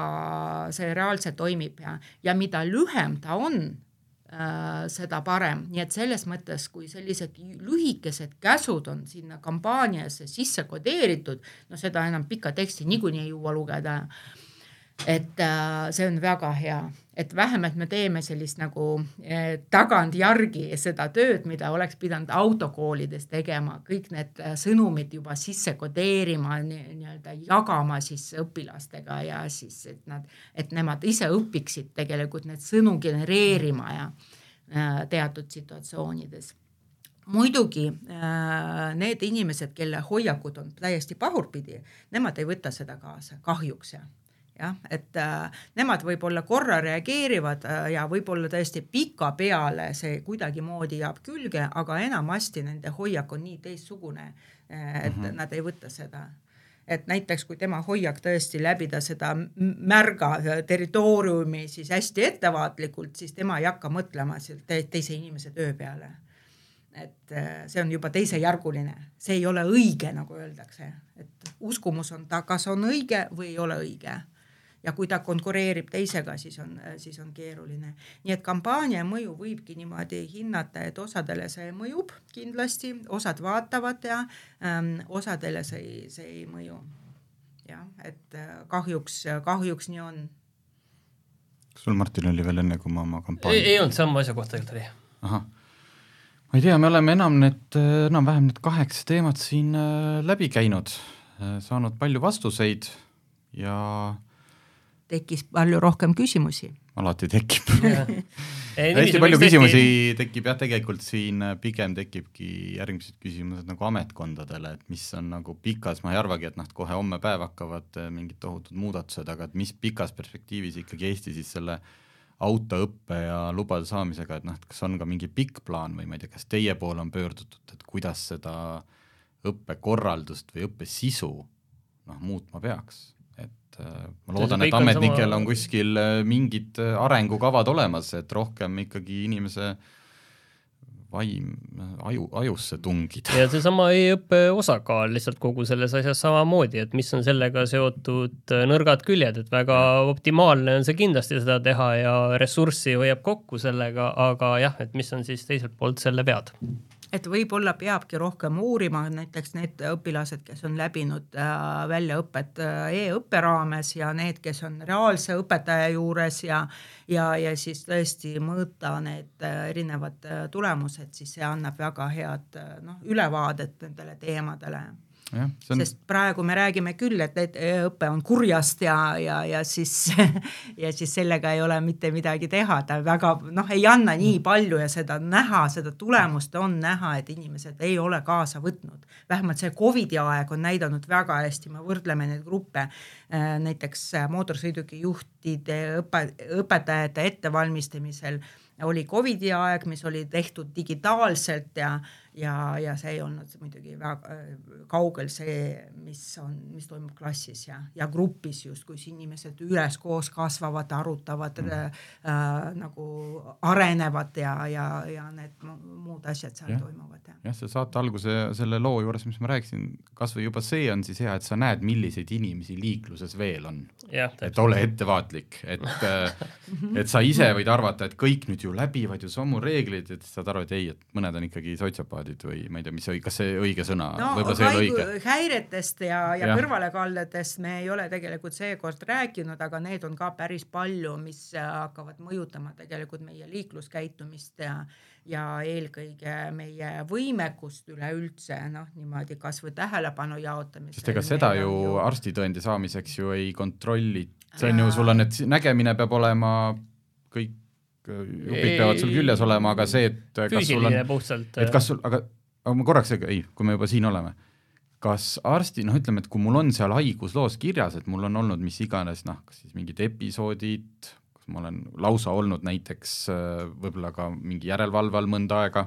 E: see reaalselt toimib ja mida lühem ta on, seda parem. Nii et selles mõttes, kui sellised lühikesed käsud on sinna kampaaniasse sisse kodeeritud, seda enam pika teksti niikuinii ei jõua lugeda. Et see on väga hea, et vähemalt me teeme sellist nagu tagant järgi seda tööd, mida oleks pidanud autokoolides tegema, kõik need sõnumid juba sisse kodeerima, nii-öelda jagama siis õpilastega ja siis, et nemad ise õpiksid tegelikult need sõnu genereerima ja teatud situatsioonides. Muidugi need inimesed, kelle hoiakud on täiesti pahurpidi, nemad ei võta seda kaasa, kahjuks et nemad võib-olla korra reageerivad ja võib-olla tõesti pika peale see kuidagi moodi jääb külge, aga enamasti nende hoiak on nii teistsugune, et nad ei võta seda. Et näiteks kui tema hoiak tõesti läbida seda märga territooriumi siis hästi ettevaatlikult, siis tema ei hakka mõtlema teise inimese töö peale. Et see on juba teisejärguline, see ei ole õige, nagu öeldakse, et uskumus on ta, kas on õige või ei ole õige. Ja kui ta konkureerib teisega, siis on keeruline. Nii et kampaania mõju võibki niimoodi hinnata, et osadele see mõjub kindlasti, osad vaatavad ja osadele see ei mõju. Ja, et kahjuks nii on.
C: Sul, Martin, oli veel enne, kui ma oma kampaania...
D: Ei olnud, sama asja kohta oli.
C: Aha. Ma ei tea, me oleme enam-vähem need 8 teemat siin läbi käinud, saanud palju vastuseid ja
E: tekkis palju rohkem küsimusi.
C: Alati tekib. Hästi palju küsimusi tekib tegelikult siin, pigem tekibki järgmised küsimused nagu ametkondadele, et mis on nagu pikas, ma ei arvagi, et kohe homme päev hakkavad mingid tohutud muudatused, aga et mis pikas perspektiivis ikkagi Eesti siis selle autoõppe ja lubade saamisega, et kas on ka mingi pikk plaan või ma ei tea, kas teie poole on pöördutud, et kuidas seda õppekorraldust või õppesisu muutma peaks. Ma loodan, et ametnikel on kuskil mingid arengukavad olemas, et rohkem ikkagi inimese vaim ajusse tungida.
D: Ja see sama e-õppe osakaal lihtsalt kogu selles asjas samamoodi, et mis on sellega seotud nõrgad küljed, et väga optimaalne on see kindlasti seda teha ja ressurssi hoiab kokku sellega, aga jah, et mis on siis teiselt poolt selle pead.
E: Et võib-olla peabki rohkem uurima näiteks need õpilased, kes on läbinud väljaõpet e-õppe raames ja need, kes on reaalse õpetaja juures ja siis tõesti mõõta need erinevad tulemused, siis see annab väga head ülevaadet nendele teemadele.
C: Ja,
E: sest praegu me räägime küll, et õpe on kurjast ja siis sellega ei ole mitte midagi teha, ta väga ei anna nii palju ja seda näha, seda tulemust on näha, et inimesed ei ole kaasa võtnud. Vähemalt see COVID-i aeg on näidanud väga hästi, me võrdleme neid gruppe, näiteks mootorsõiduki juhtide õpetajate ettevalmistamisel oli COVID-i aeg, mis oli tehtud digitaalselt ja see ei olnud muidugi väga kaugel see, mis toimub klassis ja grupis just, kus inimesed üles koos kasvavad, arutavad, nagu arenevad ja need muud asjad seal toimuvad.
C: Ja see saate alguse selle loo juures, mis ma rääkisin, kas või juba see on siis hea, et sa näed, milliseid inimesi liikluses veel on. Et ole ettevaatlik, et sa ise võid arvata, et kõik nüüd ju läbivad ju samu reeglid, et saad aru, et ei, et mõned on ikkagi sotsiapaadid või ma ei tea, kas see õige sõna, võib-olla see ei ole õige.
E: Häiretest ja kõrvalekaldadest me ei ole tegelikult seekord rääkinud, aga need on ka päris palju, mis hakkavad mõjutama tegelikult meie liikluskäitumist ja eelkõige meie võimekust üleüldse, niimoodi kas või tähelepanu jaotamist.
C: Sest ega seda ju arstitõendi saamiseks ju ei kontrolli. See on ju, sul on, et nägemine peab olema, kõik jupid peavad sul küljes olema, aga see, et kas sul on,
D: puhtalt,
C: et kas sul, aga ma korraks, kui me juba siin oleme, kas arsti, ütleme, et kui mul on seal haigusloos kirjas, et mul on olnud mis iganes, kas siis mingid episoodid, kas ma olen lausa olnud näiteks võib-olla ka mingi järelevalve all mõnda aega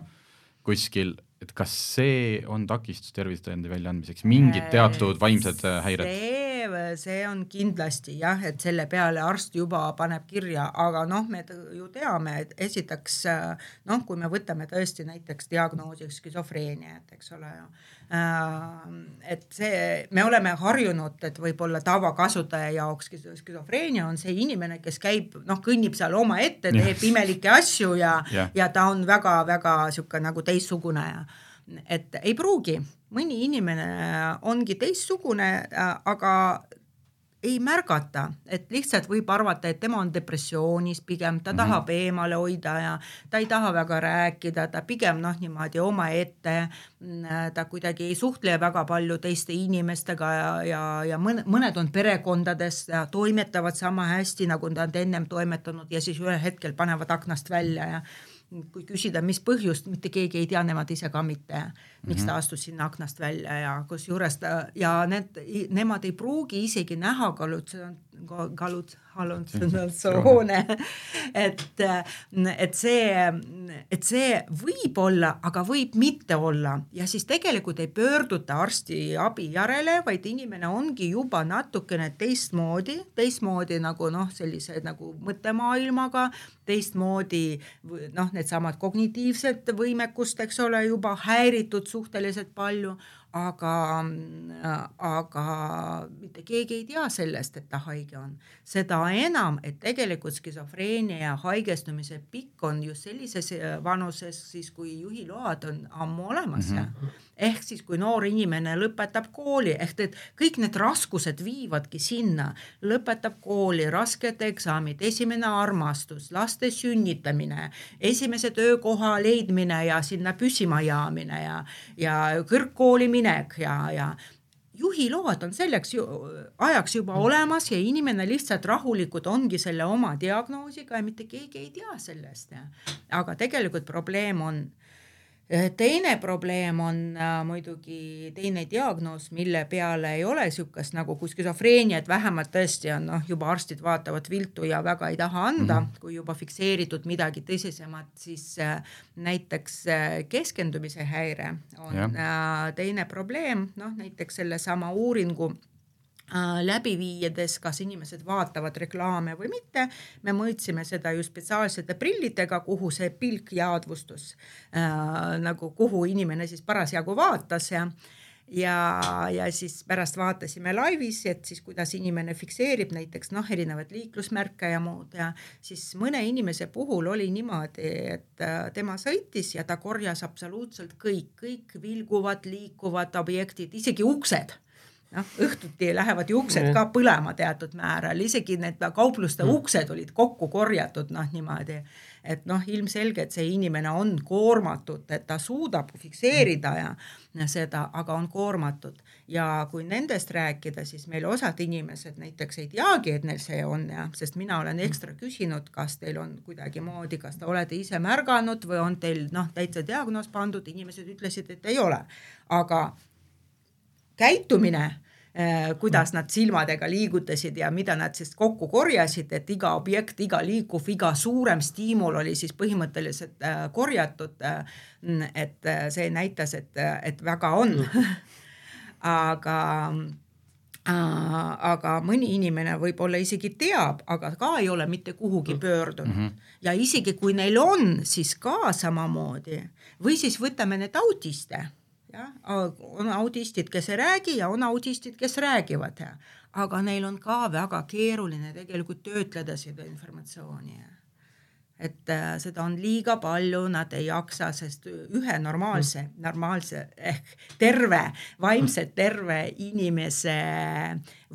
C: kuskil, et kas see on takistus tervisetõendi väljaandmiseks, mingid teatud vaimsed häired?
E: See on kindlasti jah, et selle peale arst juba paneb kirja, aga me ju teame, et esiteks, kui me võtame tõesti näiteks diagnoosiks skisofreenia, et eks ole ju, et see, me oleme harjunud, et võib-olla tavakasutaja jaoks skisofreenia on see inimene, kes käib, kõnnib seal oma ette, teeb imelikke asju ja ta on väga-väga siuke nagu teistsugune et ei pruugi, mõni inimene ongi teistsugune, aga ei märgata, et lihtsalt võib arvata, et tema on depressioonis pigem, ta tahab eemale hoida ja ta ei taha väga rääkida, ta pigem niimoodi oma ette, ta kuidagi ei suhtle väga palju teiste inimestega ja mõned on perekondades ja toimetavad sama hästi, nagu nad ennem toimetanud ja siis ühel hetkel panevad aknast välja ja kui küsida, mis põhjust, mitte keegi ei tea, nemad ise ka mitte, miks ta astus sinna aknast välja ja kus juures nemad ei pruugi isegi näha halutsinatsioone, et see võib olla, aga võib mitte olla ja siis tegelikult ei pöörduta arsti abi järele, vaid inimene ongi juba natukene teistmoodi nagu sellise nagu mõttemaailmaga, teistmoodi need samad kognitiivsed võimekust, eks ole, juba häiritud suhteliselt palju, aga mitte keegi ei tea sellest, et ta haige on. Seda enam, et tegelikult skisofreenia ja haigestumise pikk on just sellises vanuses, siis kui juhiload on ammu olemas. ehk siis kui noor inimene lõpetab kooli, ehk et kõik need raskused viivadki sinna, lõpetab kooli, rasked eksamid, esimene armastus, laste sünnitamine, esimese töökoha leidmine ja sinna püsima jaamine ja kõrgkooli minek ja juhiload on selleks ajaks juba olemas ja inimene lihtsalt rahulikult ongi selle oma diagnoosiga ja mitte keegi ei tea sellest. Aga tegelikult teine probleem on muidugi teine diagnoos, mille peale ei ole sükast nagu kui skisofreenia, et vähemalt tõesti on juba arstid vaatavad viltu ja väga ei taha anda, kui juba fikseeritud midagi tõsisemat, siis näiteks keskendumise häire on teine probleem, näiteks selle sama uuringu läbi viides, kas inimesed vaatavad reklaame või mitte. Me mõõtsime seda ju spetsiaalsete prillidega, kuhu see pilk jaadvustus, nagu kuhu inimene siis parasjagu vaatas ja siis pärast vaatasime laivis, et siis kuidas inimene fikseerib näiteks erinevad liiklusmärke ja muud ja siis mõne inimese puhul oli niimoodi, et tema sõitis ja ta korjas absoluutselt kõik vilguvad, liikuvad objektid, isegi uksed. Õhtuti lähevad ju uksed ka põlema teatud määral, isegi need kaupluste uksed olid kokku korjatud niimoodi, et ilmselge, et see inimene on koormatud, et ta suudab fikseerida ja seda, aga on koormatud ja kui nendest rääkida, siis meil osad inimesed näiteks ei teagi, et neil see on sest mina olen ekstra küsinud, kas teil on kuidagi moodi, kas te olete ise märganud või on teil täitsa diagnoos pandud, inimesed ütlesid, et ei ole, aga käitumine, kuidas nad silmadega liigutasid ja mida nad siis kokku korjasid, et iga objekt, iga liikuv, iga suurem stiimul oli siis põhimõtteliselt korjatud, et see näitas, et väga on. Aga mõni inimene võib-olla isegi teab, aga ka ei ole mitte kuhugi pöördunud. Ja isegi kui neil on, siis ka samamoodi. Või siis võtame need autiste. On autistid, kes ei räägi ja on autistid, kes räägivad. Aga neil on ka väga keeruline tegelikult töötleda seda informatsiooni. Et seda on liiga palju, nad ei jaksa, sest ühe normaalse ehk vaimselt terve inimese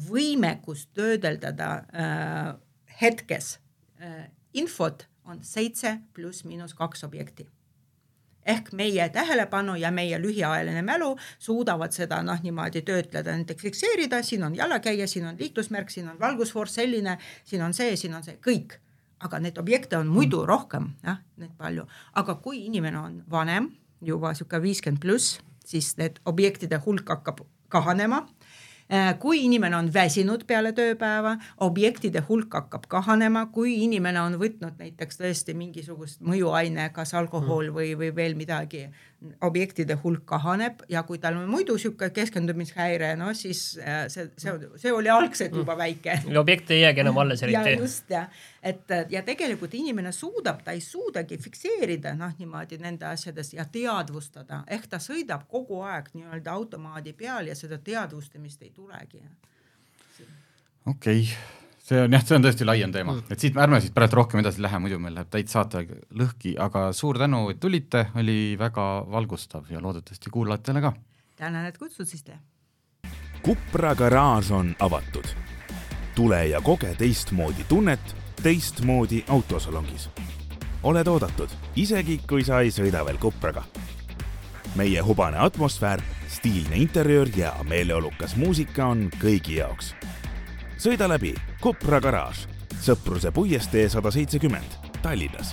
E: võimekus töödeldada hetkes infot on 7 + -2 objekti. Ehk meie tähelepanu ja meie lühiajaline mälu suudavad seda niimoodi töötleda, näiteks fikseerida, siin on jalakäija, siin on liiklusmärk, siin on valgusfoor selline, siin on see, kõik. Aga need objekte on muidu rohkem, need palju. Aga kui inimene on vanem, juba 50+, siis need objektide hulk hakkab kahanema. Kui inimene on väsinud peale tööpäeva, objektide hulk hakkab kahanema, kui inimene on võtnud näiteks tõesti mingisugust mõjuaine, kas alkohol või veel midagi, objektide hulk kahaneb ja kui tal on muidu siuke keskendumishäire, siis see oli algselt juba väike.
D: Objekt ei jäägi enam alles eriti.
E: Ja just, ja tegelikult inimene ta ei suudagi fikseerida niimoodi nende asjades ja teadvustada, ehk ta sõidab kogu aeg nii-öelda automaadi peal ja seda teadvustamist ei tulegi.
C: Okei. See on tõesti laiem teema, et ärme siit praegu rohkem edasi lähe, muidu meil läheb täit saate lõhki, aga suur tänu, et tulite, oli väga valgustav ja loodetavasti kuulajatele ka.
E: Tänan, et kutsusite.
B: Kupra garaaž on avatud. Tule ja koge teistmoodi tunnet teistmoodi autosalongis. Oled oodatud, isegi kui sa ei sõida veel Kupraga. Meie hubane atmosfäär, stiilne interiöör ja meeleolukas muusika on kõigi jaoks. Sõida läbi Kupra garaaž, Sõpruse puiestee 170, Tallinnas.